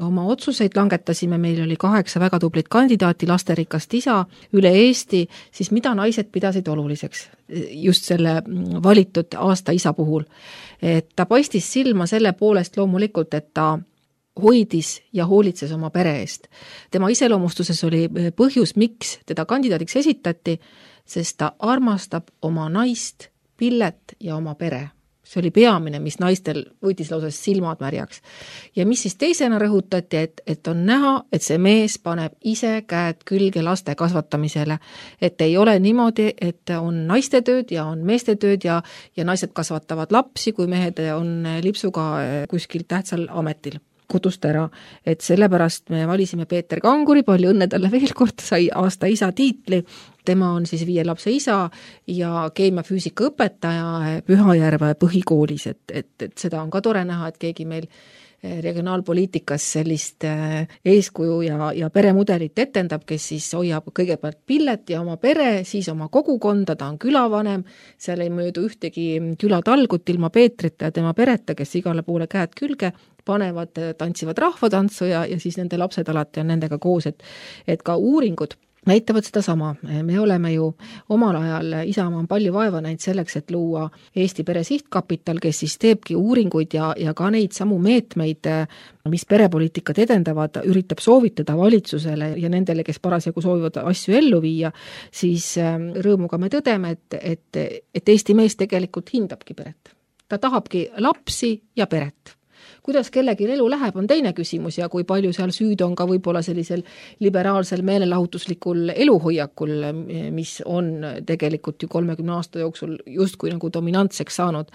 S4: oma otsuseid langetasime, meil oli 8 väga tublit kandidaati, lasterikast isa üle Eesti, siis mida naised pidasid oluliseks just selle valitud aasta isa puhul. Et ta paistis silma selle poolest loomulikult, et ta hoidis ja hoolitses oma pere eest. Tema iseloomustuses oli põhjus, miks teda kandidaadiks esitati, sest ta armastab oma naist, Pillet ja oma pere. See oli peamine, mis naistel võitis lausa silmad märjaks. Ja mis siis teisena rõhutati, et on näha, et see mees paneb ise käed külge laste kasvatamisele. Et ei ole niimoodi, et on naiste tööd ja on meeste tööd ja naised kasvatavad lapsi, kui mehed on lipsuga kuskil tähtsal ametil kodust ära, et sellepärast me valisime Peeter Kanguri, palju õnne talle veel kord, sai aasta isa tiitli, tema on siis 5 lapse isa ja keemia-füüsika õpetaja Pühajärve põhikoolis, et seda on ka tore näha, et keegi meil regionaalpoliitikas sellist eeskuju ja peremudelit etendab, kes siis hoiab kõigepealt Pillet ja oma pere, siis oma kogukonda, ta on külavanem, seal ei möödu ühtegi külatalgut ilma Peetrita ja tema pereta, kes igale poole käed külge panevad, tantsivad rahvatantsu ja siis nende lapsed alati on nendega koos, et ka uuringud näitavad seda sama. Me oleme ju omal ajal, Isamaa on palju vaeva näinud selleks, et luua Eesti Pere Sihtkapital, kes siis teebki uuringuid ja ka neid samu meetmeid, mis perepoliitikat edendavad, üritab soovitada valitsusele ja nendele, kes parasjagu soovivad asju ellu viia, siis rõõmuga me tõdeme, et Eesti mees tegelikult hindabki peret. Ta tahabki lapsi ja peret. Kuidas kellegi elu läheb, on teine küsimus ja kui palju seal süüd on ka võib-olla sellisel liberaalsel meelelahutuslikul eluhoiakul, mis on tegelikult ju 30 aasta jooksul justkui nagu dominantseks saanud.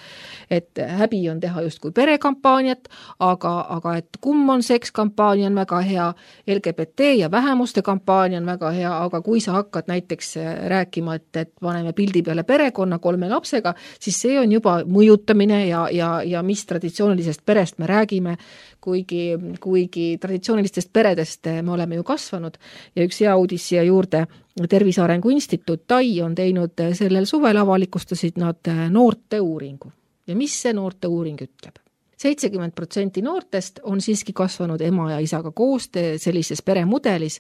S4: Et häbi on teha justkui perekampaaniat, aga et kumm on sekskampaania on väga hea, LGBT ja vähemuste kampaania on väga hea, aga kui sa hakkad näiteks rääkima, et paneme pildi peale perekonna 3 lapsega, siis see on juba mõjutamine ja mis traditsioonilisest perest me räägime, kuigi traditsioonilistest peredest me oleme ju kasvanud ja üks hea uudis siia juurde, Tervise Arengu Instituut TAI on teinud sellel suvel avalikustasid nad noorte uuringu. Ja mis see noorte uuring ütleb? 70% noortest on siiski kasvanud ema ja isaga koos sellises peremudelis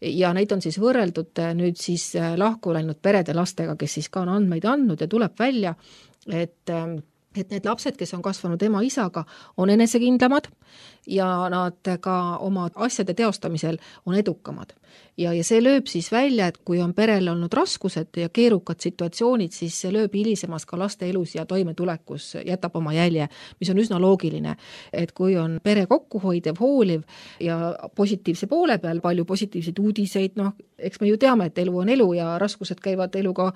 S4: ja neid on siis võrreldud nüüd siis lahku läinud perede lastega, kes siis ka on andmeid andnud ja tuleb välja, et need lapsed, kes on kasvanud ema-isaga, on enesekindlamad ja nad ka oma asjade teostamisel on edukamad. Ja see lööb siis välja, et kui on perel olnud raskused ja keerukad situatsioonid, siis see lööb hilisemas ka laste elus ja toimetulekus jätab oma jälje, mis on üsna loogiline. Et kui on pere kokkuhoidev, hooliv ja positiivse poole peal palju positiivseid uudiseid, eks me ju teame, et elu on elu ja raskused käivad eluga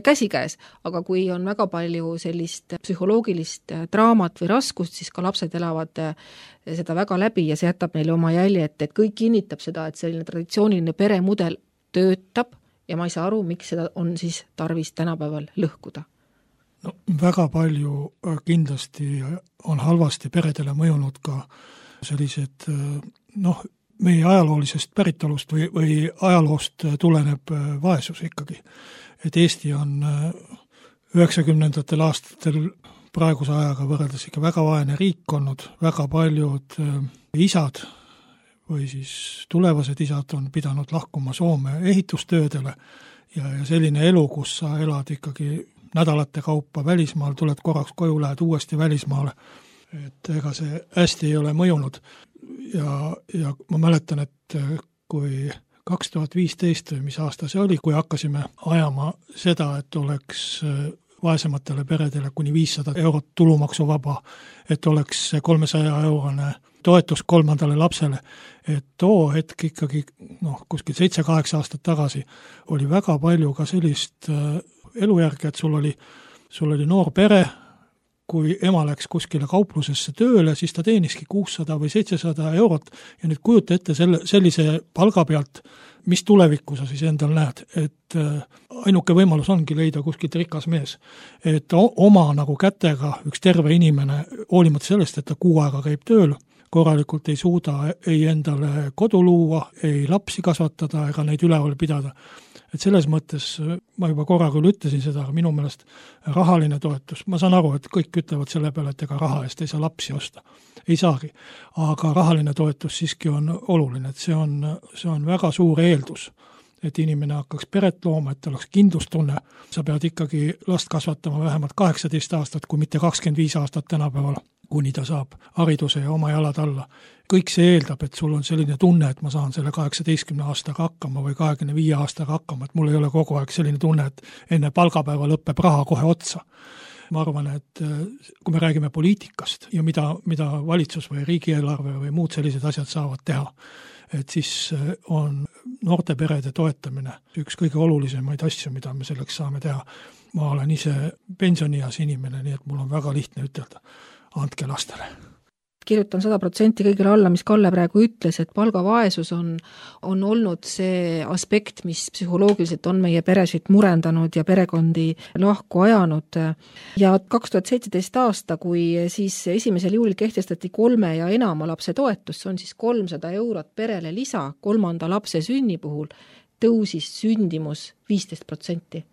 S4: käsikäes, aga kui on väga palju sellist psühholoogilist draamat või raskust, siis ka lapsed elavad seda väga läbi ja see jätab neile oma jälje, et kõik kinnitab seda, et selline traditsiooniline peremudel töötab ja ma ei saa aru, miks seda on siis tarvis tänapäeval lõhkuda.
S3: No, väga palju kindlasti on halvasti peredele mõjunud ka sellised, meie ajaloolisest päritolust või ajaloost tuleneb vaesus ikkagi. Et Eesti on 90ndatel aastatel praeguse ajaga võrreldes ikka väga vaene riik olnud, väga paljud isad või siis tulevased isad on pidanud lahkuma Soome ehitustöödele ja selline elu, kus sa elad ikkagi nädalate kaupa välismaal, tuled korraks koju, lähed uuesti välismaale, et ega see hästi ei ole mõjunud ja ma mäletan, et kui 2015 või mis aasta see oli, kui hakkasime ajama seda, et oleks vaesematele peredele kuni 500 eurot tulumaksuvaba, et oleks 300-eurone toetus 3. lapsele, et too hetk ikkagi kuskil 7-8 aastat tagasi oli väga palju ka sellist elujärge, et sul oli noor pere, kui ema läks kuskile kauplusesse tööle, siis ta teeniski 600 või 700 eurot ja nüüd kujuta ette sellise palga pealt, mis tulevikku sa siis endal näed, et ainuke võimalus ongi leida kuskilt rikas mees. Et oma nagu kätega üks terve inimene, hoolimata sellest, et ta 6 aega käib tööl, korralikult ei suuda ei endale kodu luua, ei lapsi kasvatada ega neid üleval pidada. Et selles mõttes, ma juba korra küll ütlesin seda, aga minu meelest rahaline toetus, ma saan aru, et kõik ütlevad selle peale, et ega raha eest ei saa lapsi osta. Ei saagi. Aga rahaline toetus siiski on oluline, et see on väga suur eeldus, et inimene hakkaks peret looma, et oleks kindlustunne. Sa pead ikkagi last kasvatama vähemalt 18 aastat, kui mitte 25 aastat tänapäeval, kuni ta saab hariduse ja oma jalad alla. Kõik see eeldab, et sul on selline tunne, et ma saan selle 18 aastaga hakkama või 25 aastaga hakkama, et mul ei ole kogu aeg selline tunne, et enne palgapäeva lõpeb raha kohe otsa. Ma arvan, et kui me räägime poliitikast ja mida valitsus või riigieelarve või muud sellised asjad saavad teha, et siis on noorte perede toetamine üks kõige olulisemaid asju, mida me selleks saame teha. Ma olen ise pensionias inimene, nii et mul on väga lihtne ütelda, andke lastele.
S4: Kirjutan 100% kõigile alla, mis Kalle praegu ütles, et palgavaesus on olnud see aspekt, mis psühholoogiliselt on meie peresid murendanud ja perekondi lahku ajanud. Ja 2017 aasta, kui siis 1. juulil kehtestati 3 ja enama lapse toetus, see on siis 300 eurot perele lisa 3. lapse sünni puhul, tõusis sündimus 15%.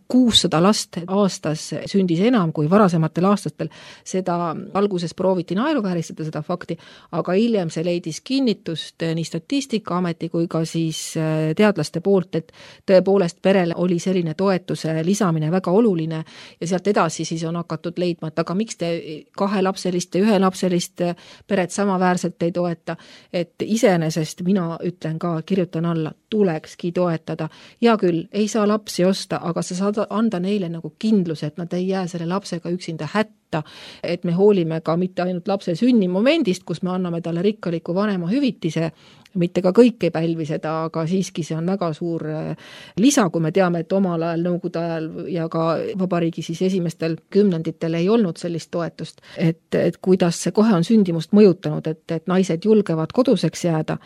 S4: 600 last aastas sündis enam kui varasematel aastatel. Seda alguses prooviti naeruvääristada seda fakti, aga hiljem see leidis kinnitust nii Statistikaameti kui ka siis teadlaste poolt, et tõepoolest perele oli selline toetuse lisamine väga oluline ja sealt edasi siis on hakatud leidma, et aga miks te 2-lapselist ja 1-lapselist peret samaväärselt ei toeta, et iseenesest mina ütlen ka, kirjutan alla, tulekski toetada. Ja küll, ei saa lapsi osta, aga sa saad anda neile nagu kindluse, et nad ei jää selle lapsega üksinda hätta, et me hoolime ka mitte ainult lapse sünni momendist, kus me anname talle rikkaliku vanema hüvitise, mitte ka kõik ei pälvi seda, aga siiski see on väga suur lisa, kui me teame, et omal ajal, nõukogude ajal ja ka vabariigi siis esimestel kümnenditel ei olnud sellist toetust, et kuidas see kohe on sündimust mõjutanud, et naised julgevad koduseks jääda.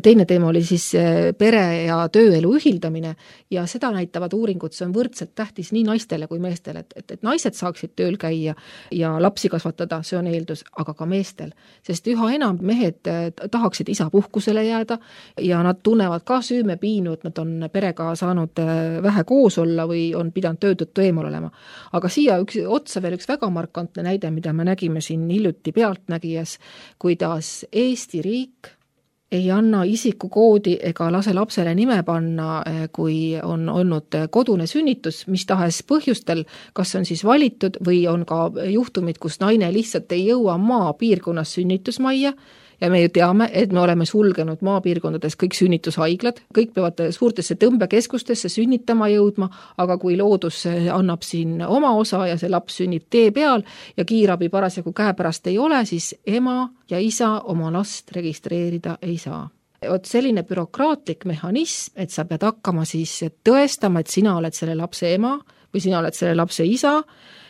S4: Teine teema oli siis pere ja tööelu ühildamine ja seda näitavad uuringud, see on võrdselt tähtis nii naistele kui meestele, et naised saaksid tööl käia ja lapsi kasvatada, see on eeldus, aga ka meestel, sest üha enam mehed tahaksid isapuhkusele jääda ja nad tunnevad ka süümepiinu, et nad on perega saanud vähe koos olla või on pidanud töötõttu eemal olema. Aga siia otsa veel üks väga markantne näide, mida me nägime siin hiljuti Pealtnägijas, kuidas Eesti riik ei anna isikukoodi ega lase lapsele nime panna, kui on olnud kodune sünnitus, mis tahes põhjustel, kas on siis valitud või on ka juhtumid, kus naine lihtsalt ei jõua maapiirkonnas sünnitusmajja, ja me ju teame, et me oleme sulgenud maapiirkondades kõik sünnitushaiglad, kõik peavad suurtesse tõmbekeskustesse sünnitama jõudma, aga kui loodus annab siin oma osa ja see laps sünnib tee peal ja kiirabi parasjagu käepärast ei ole, siis ema ja isa oma last registreerida ei saa. Oot selline bürokraatlik mehhanism, et sa pead hakkama siis tõestama, et sina oled selle lapse ema või sina oled selle lapse isa,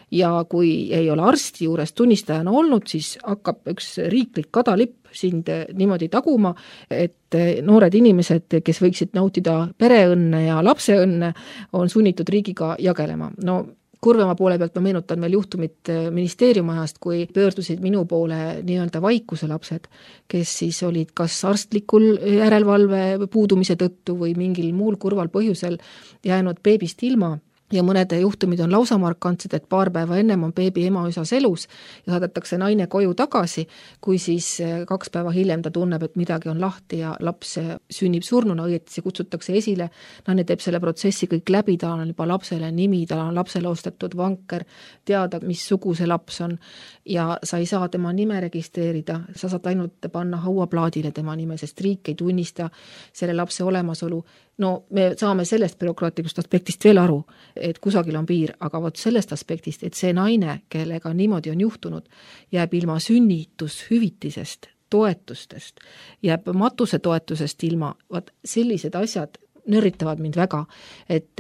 S4: ja kui ei ole arsti juures tunnistajana olnud, siis hakkab üks riiklik kadalipp sind niimoodi taguma, et noored inimesed, kes võiksid nautida pereõnne ja lapseõnne, on sunnitud riigiga jagelema. No kurvema poole pealt ma meenutan veel juhtumit ministeeriumajast, kui pöördusid minu poole nii-öelda vaikuse lapsed, kes siis olid kas arstlikul järelevalve puudumise tõttu või mingil muul kurval põhjusel jäänud beebist ilma. ja mõned juhtumid on lausa markantsed, et paar päeva ennem on beebi emaüsas elus ja saadetakse naine koju tagasi, kui siis 2 päeva hiljem ta tunneb, et midagi on lahti ja laps sünnib surnuna, õieti see kutsutakse esile, naine teeb selle protsessi kõik läbi, ta on juba lapsele nimi, ta on lapsele ostetud vanker, teada, mis sugu see laps on ja sa ei saa tema nime registreerida, sa saad ainult panna hauaplaadile tema nime, sest riik ei tunnista selle lapse olemasolu. No me saame sellest bürokraatlikust aspektist veel aru, et kusagil on piir, aga vot sellest aspektist, et see naine, kellega niimoodi on juhtunud, jääb ilma sünnitushüvitisest, toetustest, jääb matusetoetusest ilma, vaat sellised asjad nörritavad mind väga, et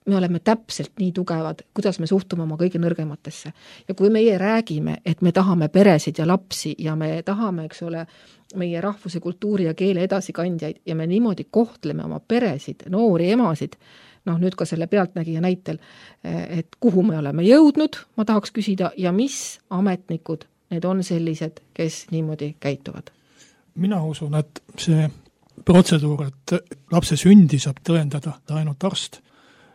S4: me oleme täpselt nii tugevad, kuidas me suhtume oma kõige nõrgematesse. Ja kui meie räägime, et me tahame peresid ja lapsi ja me tahame, eks ole, meie rahvuse, kultuuri ja keele edasikandjaid ja me niimoodi kohtleme oma peresid, noori emasid, noh nüüd ka selle pealtnägija näitel, et kuhu me oleme jõudnud, ma tahaks küsida, ja mis ametnikud need on sellised, kes niimoodi käituvad?
S3: Mina usun, et see protseduur, et lapse sündi saab tõendada ainult arst,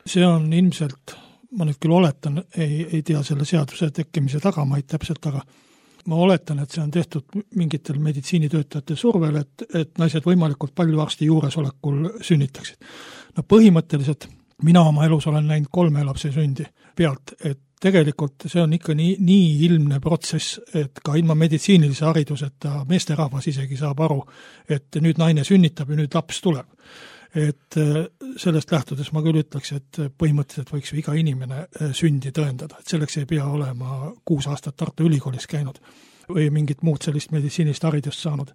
S3: see on ilmselt, ma nüüd küll oletan, ei tea selle seaduse tekkimise tagamaid täpselt, aga ma oletan, et see on tehtud mingitel meditsiinitöötajate survel, et naised võimalikult palju arsti juuresolekul sünnitaksid. No põhimõtteliselt mina oma elus olen näinud 3 lapse sündi pealt, et tegelikult see on ikka nii ilmne protsess, et ka ilma meditsiinilise hariduseta meesterahvas isegi saab aru, et nüüd naine sünnitab ja nüüd laps tuleb. Et sellest lähtudes ma küll ütleks, et põhimõtteliselt võiks ju iga inimene sündi tõendada, et selleks ei pea olema 6 aastat Tartu Ülikoolis käinud või mingit muud sellist meditsiinist haridust saanud.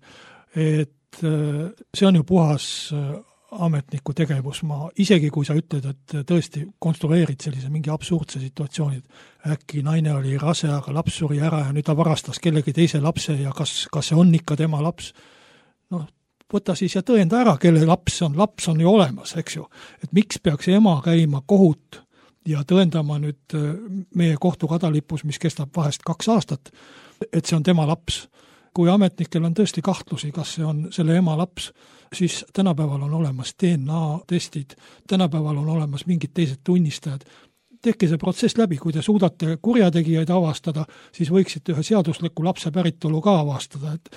S3: Et see on ju puhas ametniku tegevus, isegi kui sa ütled, et tõesti konstrueerid sellise mingi absurdse situatsiooni, et äkki naine oli rase, aga laps suri ära ja nüüd ta varastas kellegi teise lapse ja kas see on ikka tema laps, noh, võta siis ja tõenda ära, kelle laps on ju olemas, eks ju. Et miks peaks ema käima kohut ja tõendama nüüd meie kohtu kadalipus, mis kestab vahest 2 aastat, et see on tema laps. Kui ametnikel on tõesti kahtlusi, kas see on selle ema laps, siis tänapäeval on olemas DNA-testid, tänapäeval on olemas mingid teised tunnistajad. Tehke see protsess läbi, kui te suudate kurjategijaid avastada, siis võiksite ühe seadusliku lapse päritolu ka avastada, et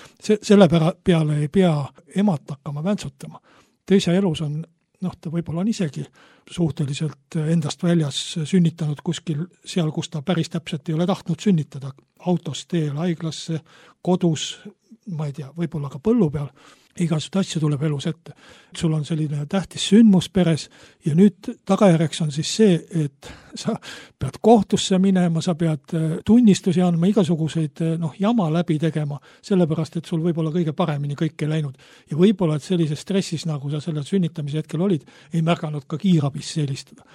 S3: selle peale ei pea emat hakkama väntsutama. Teise elus on, ta võib-olla on isegi suhteliselt endast väljas sünnitanud kuskil seal, kus ta päris täpselt ei ole tahtnud sünnitada, autos, teel, haiglasse, kodus, ma ei tea, võib-olla ka põllu peal, igasugust asju tuleb elus ette. Sul on selline tähtis sündmus peres ja nüüd tagajärjeks on siis see, et sa pead kohtusse minema, sa pead tunnistusi andma, igasuguseid jama läbi tegema, sellepärast, et sul võib-olla kõige paremini kõik ei läinud. Ja võib-olla, et sellises stressis, nagu sa selle sünnitamise hetkel olid, ei märganud ka kiirabis helistada.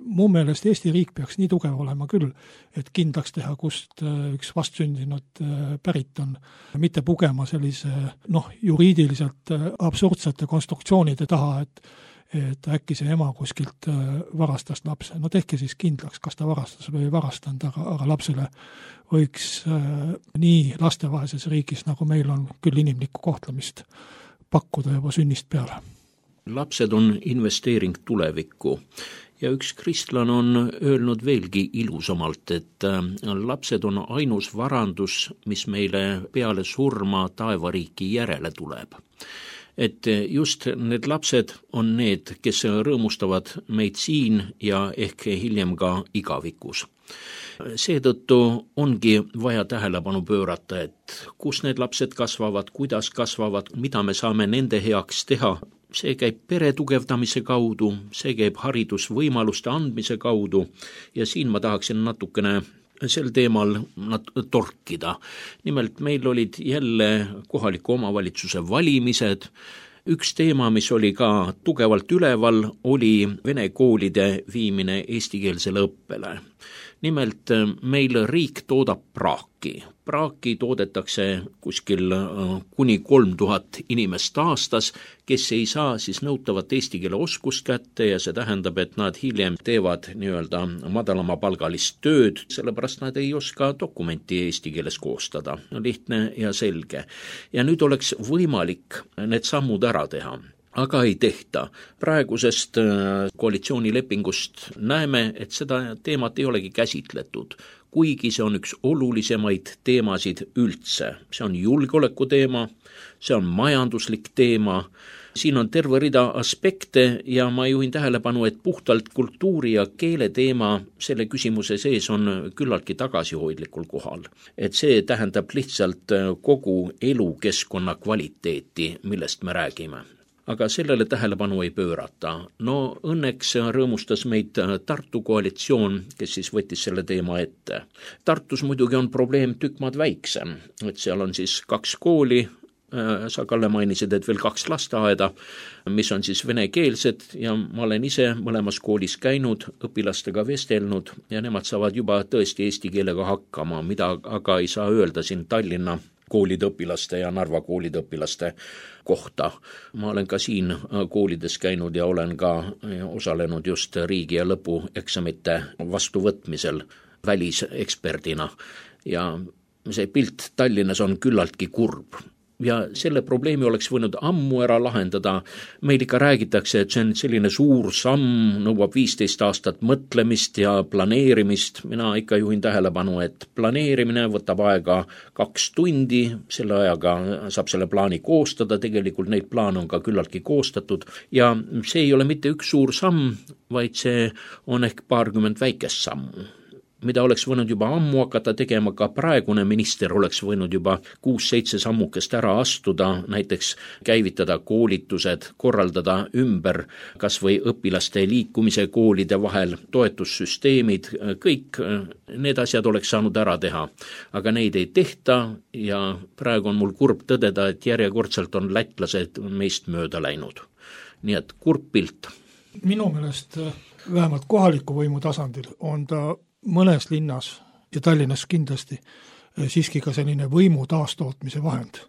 S3: Mu meelest Eesti riik peaks nii tugev olema küll, et kindlaks teha, kust üks vastsündinud pärit on, mitte pugema sellise juriidiliselt absurdsete konstruktsioonide taha, et äkki see ema kuskilt varastas lapse. No tehke siis kindlaks, kas ta varastas või ei varastanud, aga lapsele võiks nii lastevaheses riigis, nagu meil on küll inimlikku kohtlemist pakkuda juba sünnist peale.
S2: Lapsed on investeering tulevikku. Ja üks kristlane on öelnud veelgi ilusamalt, et lapsed on ainus varandus, mis meile peale surma taevariiki järele tuleb. Et just need lapsed on need, kes rõõmustavad meid siin ja ehk hiljem ka igavikus. Seetõttu ongi vaja tähelepanu pöörata, et kus need lapsed kasvavad, kuidas kasvavad, mida me saame nende heaks teha. See käib pere tugevdamise kaudu, see käib haridusvõimaluste andmise kaudu ja siin ma tahaksin natukene sel teemal torkida. Nimelt meil olid jälle kohaliku omavalitsuse valimised. Üks teema, mis oli ka tugevalt üleval, oli vene koolide viimine eestikeelsele õppele. Nimelt meil riik toodab praaki. Praaki toodetakse kuskil kuni 3000 inimest aastas, kes ei saa siis nõutavat eesti keele oskust kätte ja see tähendab, et nad hiljem teevad nii-öelda madalama palgalist tööd, sellepärast nad ei oska dokumenti eesti keeles koostada. Lihtne ja selge. Ja nüüd oleks võimalik need sammud ära teha. aga ei tehta. Praegusest koalitsioonilepingust näeme, et seda teemat ei olegi käsitletud, kuigi see on üks olulisemaid teemasid üldse. See on julgeoleku teema, see on majanduslik teema, siin on terve rida aspekte ja ma juhin tähelepanu, et puhtalt kultuuri ja keele teema selle küsimuse sees on küllaltki tagasihoidlikul kohal. Et see tähendab lihtsalt kogu elukeskkonna kvaliteeti, millest me räägime. Aga sellele tähelepanu ei pöörata. No õnneks rõõmustas meid Tartu koalitsioon, kes siis võttis selle teema ette. Tartus muidugi on probleem tükk maad väiksem, et seal on siis 2 kooli, sa Kalle mainisid, et veel 2 lasteaeda, mis on siis venekeelsed ja ma olen ise mõlemas koolis käinud, õpilastega vestelnud ja nemad saavad juba tõesti eesti keelega hakkama, mida aga ei saa öelda siin Tallinna koolide õpilaste ja Narva koolide õpilaste kohta. Ma olen ka siin koolides käinud ja olen ka osalenud just riigi- ja lõpueksamite vastuvõtmisel väliseksperdina ja see pilt Tallinnas on küllaltki kurb. Ja selle probleemi oleks võinud ammu ära lahendada. Meil ikka räägitakse, et see on selline suur samm, nõuab 15 aastat mõtlemist ja planeerimist. Mina ikka juhin tähelepanu, et planeerimine võtab aega 2 tundi, selle ajaga saab selle plaani koostada, tegelikult neid plaane on ka küllaltki koostatud ja see ei ole mitte üks suur samm, vaid see on ehk paarkümmend väikest sammu, mida oleks võinud juba ammu hakata tegema, ka praegune minister oleks võinud juba 6-7 sammukest ära astuda, näiteks käivitada koolitused, korraldada ümber kas või õpilaste liikumise koolide vahel, toetussüsteemid, kõik need asjad oleks saanud ära teha. Aga neid ei tehta ja praegu on mul kurb tõdeda, et järjekordselt on lätlased meist mööda läinud. Nii et kurb pilt.
S3: Minu meelest vähemalt kohaliku võimu tasandil on ta mõnes linnas ja Tallinnas kindlasti siiski ka selline võimu taastootmise vahend.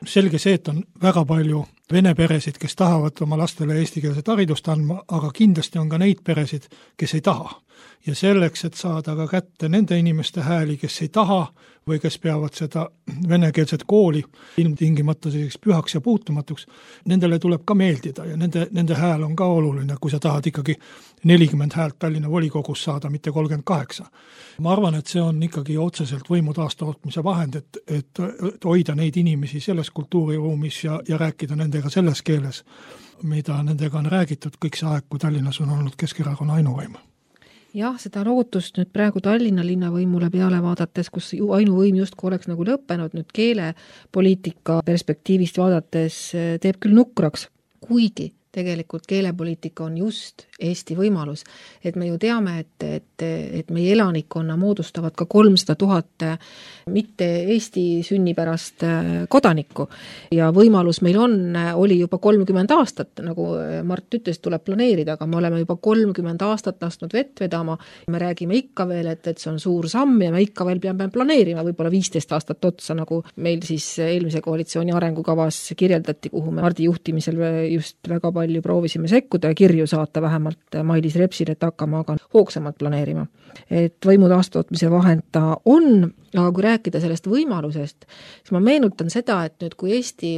S3: Selge see, et on väga palju vene peresid, kes tahavad oma lastele eestikeelset haridust andma, aga kindlasti on ka neid peresid, kes ei taha. Ja selleks, et saada ka kätte nende inimeste hääli, kes ei taha või kes peavad seda venekeelset kooli ilmtingimata selliseks pühaks ja puutumatuks, nendele tuleb ka meeldida ja nende hääl on ka oluline, kui sa tahad ikkagi 40 häält Tallinna volikogus saada, mitte 38. Ma arvan, et see on ikkagi otseselt võimu taastootmise vahend, et hoida neid inimesi selles kultuuriruumis ja rääkida nendega selles keeles, mida nendega on räägitud kõik see aeg, kui Tallinnas on olnud Keskerakonna ainuvõim.
S4: Jah, seda lootust nüüd praegu Tallinna linnavõimule peale vaadates, kus ainuvõim justkui oleks nagu lõppenud, nüüd keelepoliitika perspektiivist vaadates teeb küll nukraks, kuigi tegelikult keelepoliitika on just Eesti võimalus, et me ju teame, et meie elanikkonna moodustavad ka 300 000 mitte Eesti sünnipärast kodanikku ja võimalus meil oli juba 30 aastat, nagu Mart ütles, tuleb planeerida, aga me oleme juba 30 aastat lasknud vett vedama, me räägime ikka veel, et see on suur samm ja me ikka veel peame planeerima võib-olla 15 aastat otsa, nagu meil siis eelmise koalitsiooni arengukavas kirjeldati, kuhu me Mardi juhtimisel just väga palju proovisime sekkuda ja kirju saata vähemalt Mailis Repsile, et hakkama aga hoogsamalt planeerima. Et võimu taastootmise vahend ta on, aga kui rääkida sellest võimalusest, siis ma meenutan seda, et nüüd kui Eesti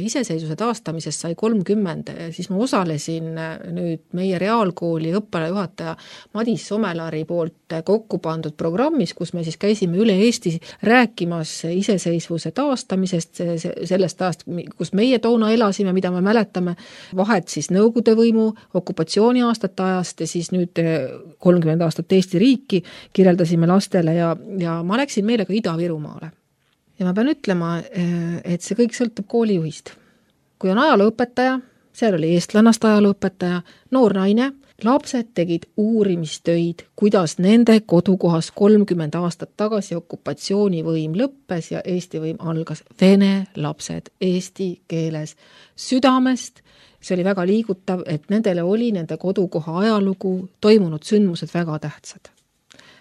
S4: iseseisvuse taastamisest sai 30, siis ma osalesin nüüd meie reaalkooli õppealajuhataja Madis Somelari poolt kokku pandud programmis, kus me siis käisime üle Eesti rääkimas iseseisvuse taastamisest, sellest ajast, kus meie toona elasime, mida me mäletame, vahet siis Nõukogude võimu, okupatsiooni aastate ajast ja siis nüüd 30 aastat Eesti riiki kirjeldasime lastele ja ma läksin meile ka Ida-Virumaale. Ja ma pean ütlema, et see kõik sõltub koolijuhist. Kui on ajalooõpetaja, seal oli eestlannast ajalooõpetaja, noor naine, lapsed tegid uurimistöid, kuidas nende kodukohas 30 aastat tagasi okupatsioonivõim lõppes ja Eesti võim algas. Vene lapsed eesti keeles südamest. See oli väga liigutav, et nendele oli nende kodukoha ajalugu, toimunud sündmused väga tähtsad.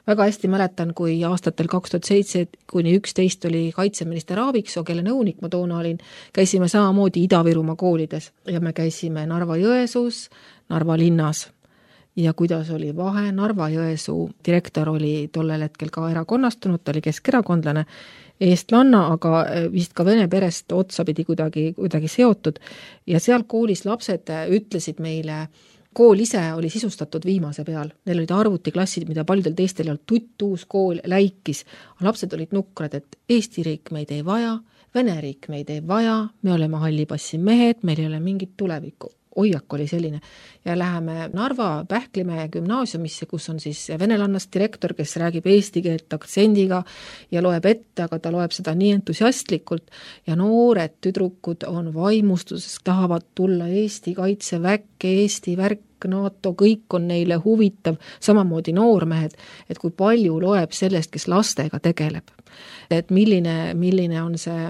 S4: Väga hästi mäletan, kui aastatel 2007–2011 oli kaitseminister Aaviksoo, kelle nõunik ma toona olin, käisime samamoodi Ida-Virumaa koolides ja me käisime Narva-Jõesuus, Narva linnas. Ja kuidas oli vahe, Narva-Jõesuu direktor oli tollel hetkel ka erakonnastunud, ta oli keskerakondlane eestlanna, aga vist ka vene perest otsapidi kuidagi seotud ja seal koolis lapsed ütlesid meile, kool ise oli sisustatud viimase peal. Neil olid arvutiklassid, mida paljudel teistel ei olnud, tutt-uus kool läikis. Lapsed olid nukrad, et Eesti riik meid ei vaja, Vene riik meid ei vaja, me oleme hallipassi mehed, meil ei ole mingit tulevikku. Hoiak oli selline. Ja läheme Narva Pähklimäe gümnaasiumisse, kus on siis venelannast direktor, kes räägib eesti keelt aktsendiga ja loeb ette, aga ta loeb seda nii entusiastlikult ja noored tüdrukud on vaimustuses, tahavad tulla Eesti kaitseväkke, Eesti värk, NATO, kõik on neile huvitav, samamoodi noormehed, et kui palju loeb sellest, kes lastega tegeleb. Et milline on see,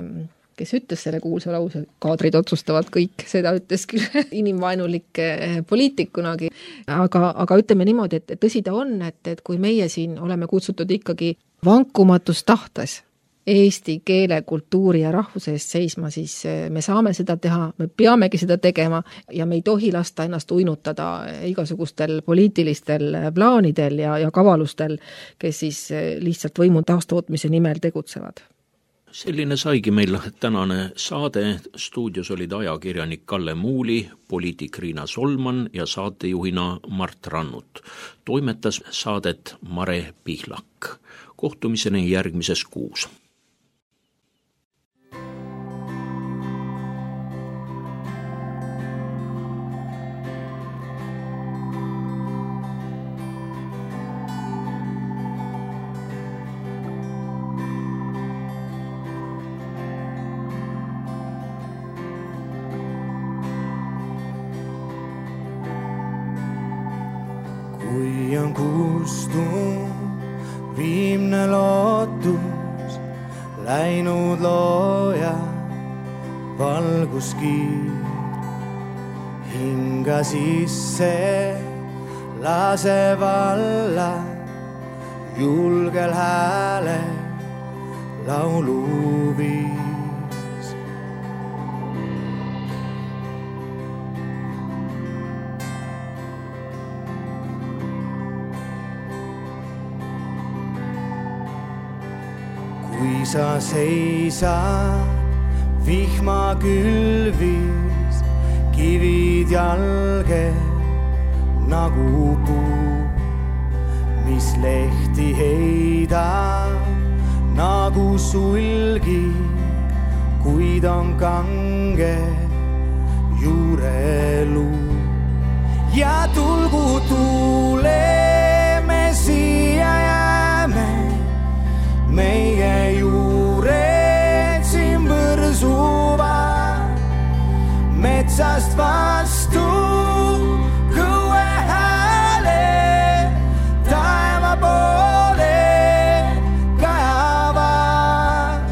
S4: kes ütles selle kuulsa lause, kaadrid otsustavad kõik, seda ütles küll inimvaenulik poliitik kunagi, aga ütleme niimoodi, et tõsi ta on, et kui meie siin oleme kutsutud ikkagi vankumatus tahtes eesti keele, kultuuri ja rahvuse eest seisma, siis me saame seda teha, me peamegi seda tegema ja me ei tohi lasta ennast uinutada igasugustel poliitilistel plaanidel ja kavalustel, kes siis lihtsalt võimu taastootmise nimel tegutsevad.
S2: Selline saigi meil tänane saade. Stuudios olid ajakirjanik Kalle Muuli, poliitik Riina Solman ja saatejuhina Mart Rannut. Toimetas saadet Mare Pihlak. Kohtumiseni järgmises kuus.
S5: Kui on kustunud viimne lootus, läinud looja valguskiir, hinga sisse lase valla, julgel häälel lauluviis. Kui sa seisad vihma külvis, kivid jalge nagu puu, mis lehti heidab nagu sulgi, kuid on kange juureluu. Ja tulgu tuuleme siia jääme, meie juured siin põrsuvad, metsast vastu kõue hääle, taeva poole kajavad.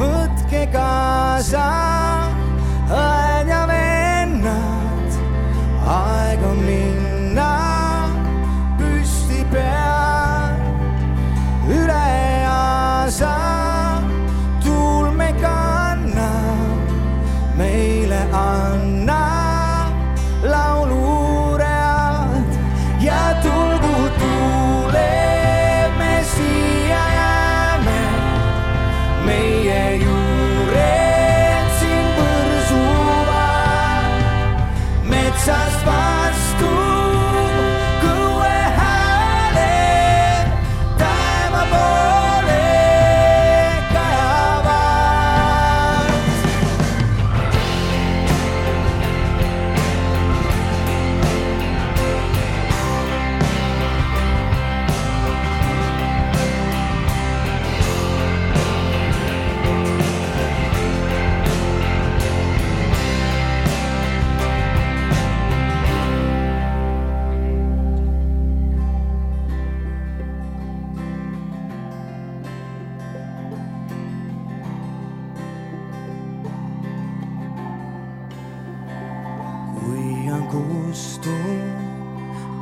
S5: Võtke kaasa õed ja vennad, aeg on minna püsti peal üle. Tuul me kannab, meile annab lauluread ja tulgu tuuleme siia jääme, meie juured siin põrsuvad, metsast vastu kõue hääle, taeva poole.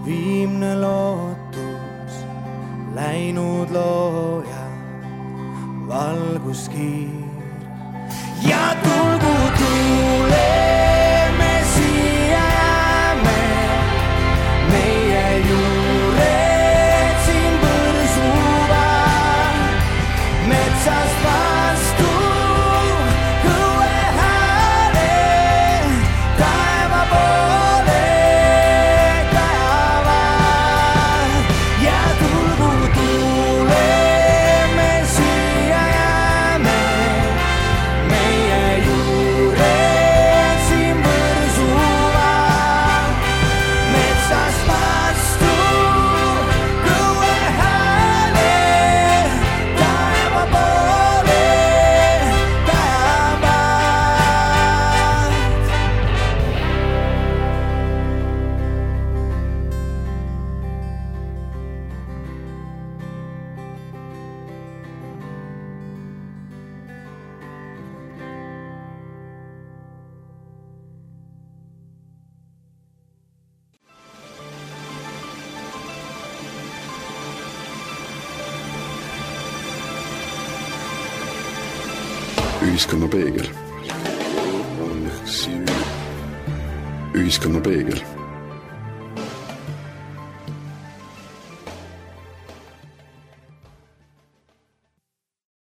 S5: Viimne lootus, läinud looja valguskiir ja tulgu tuuleme siia jääme, meie juured siin põrsuvad, metsast
S1: Ühiskonna peegel. Ühiskonna peegel.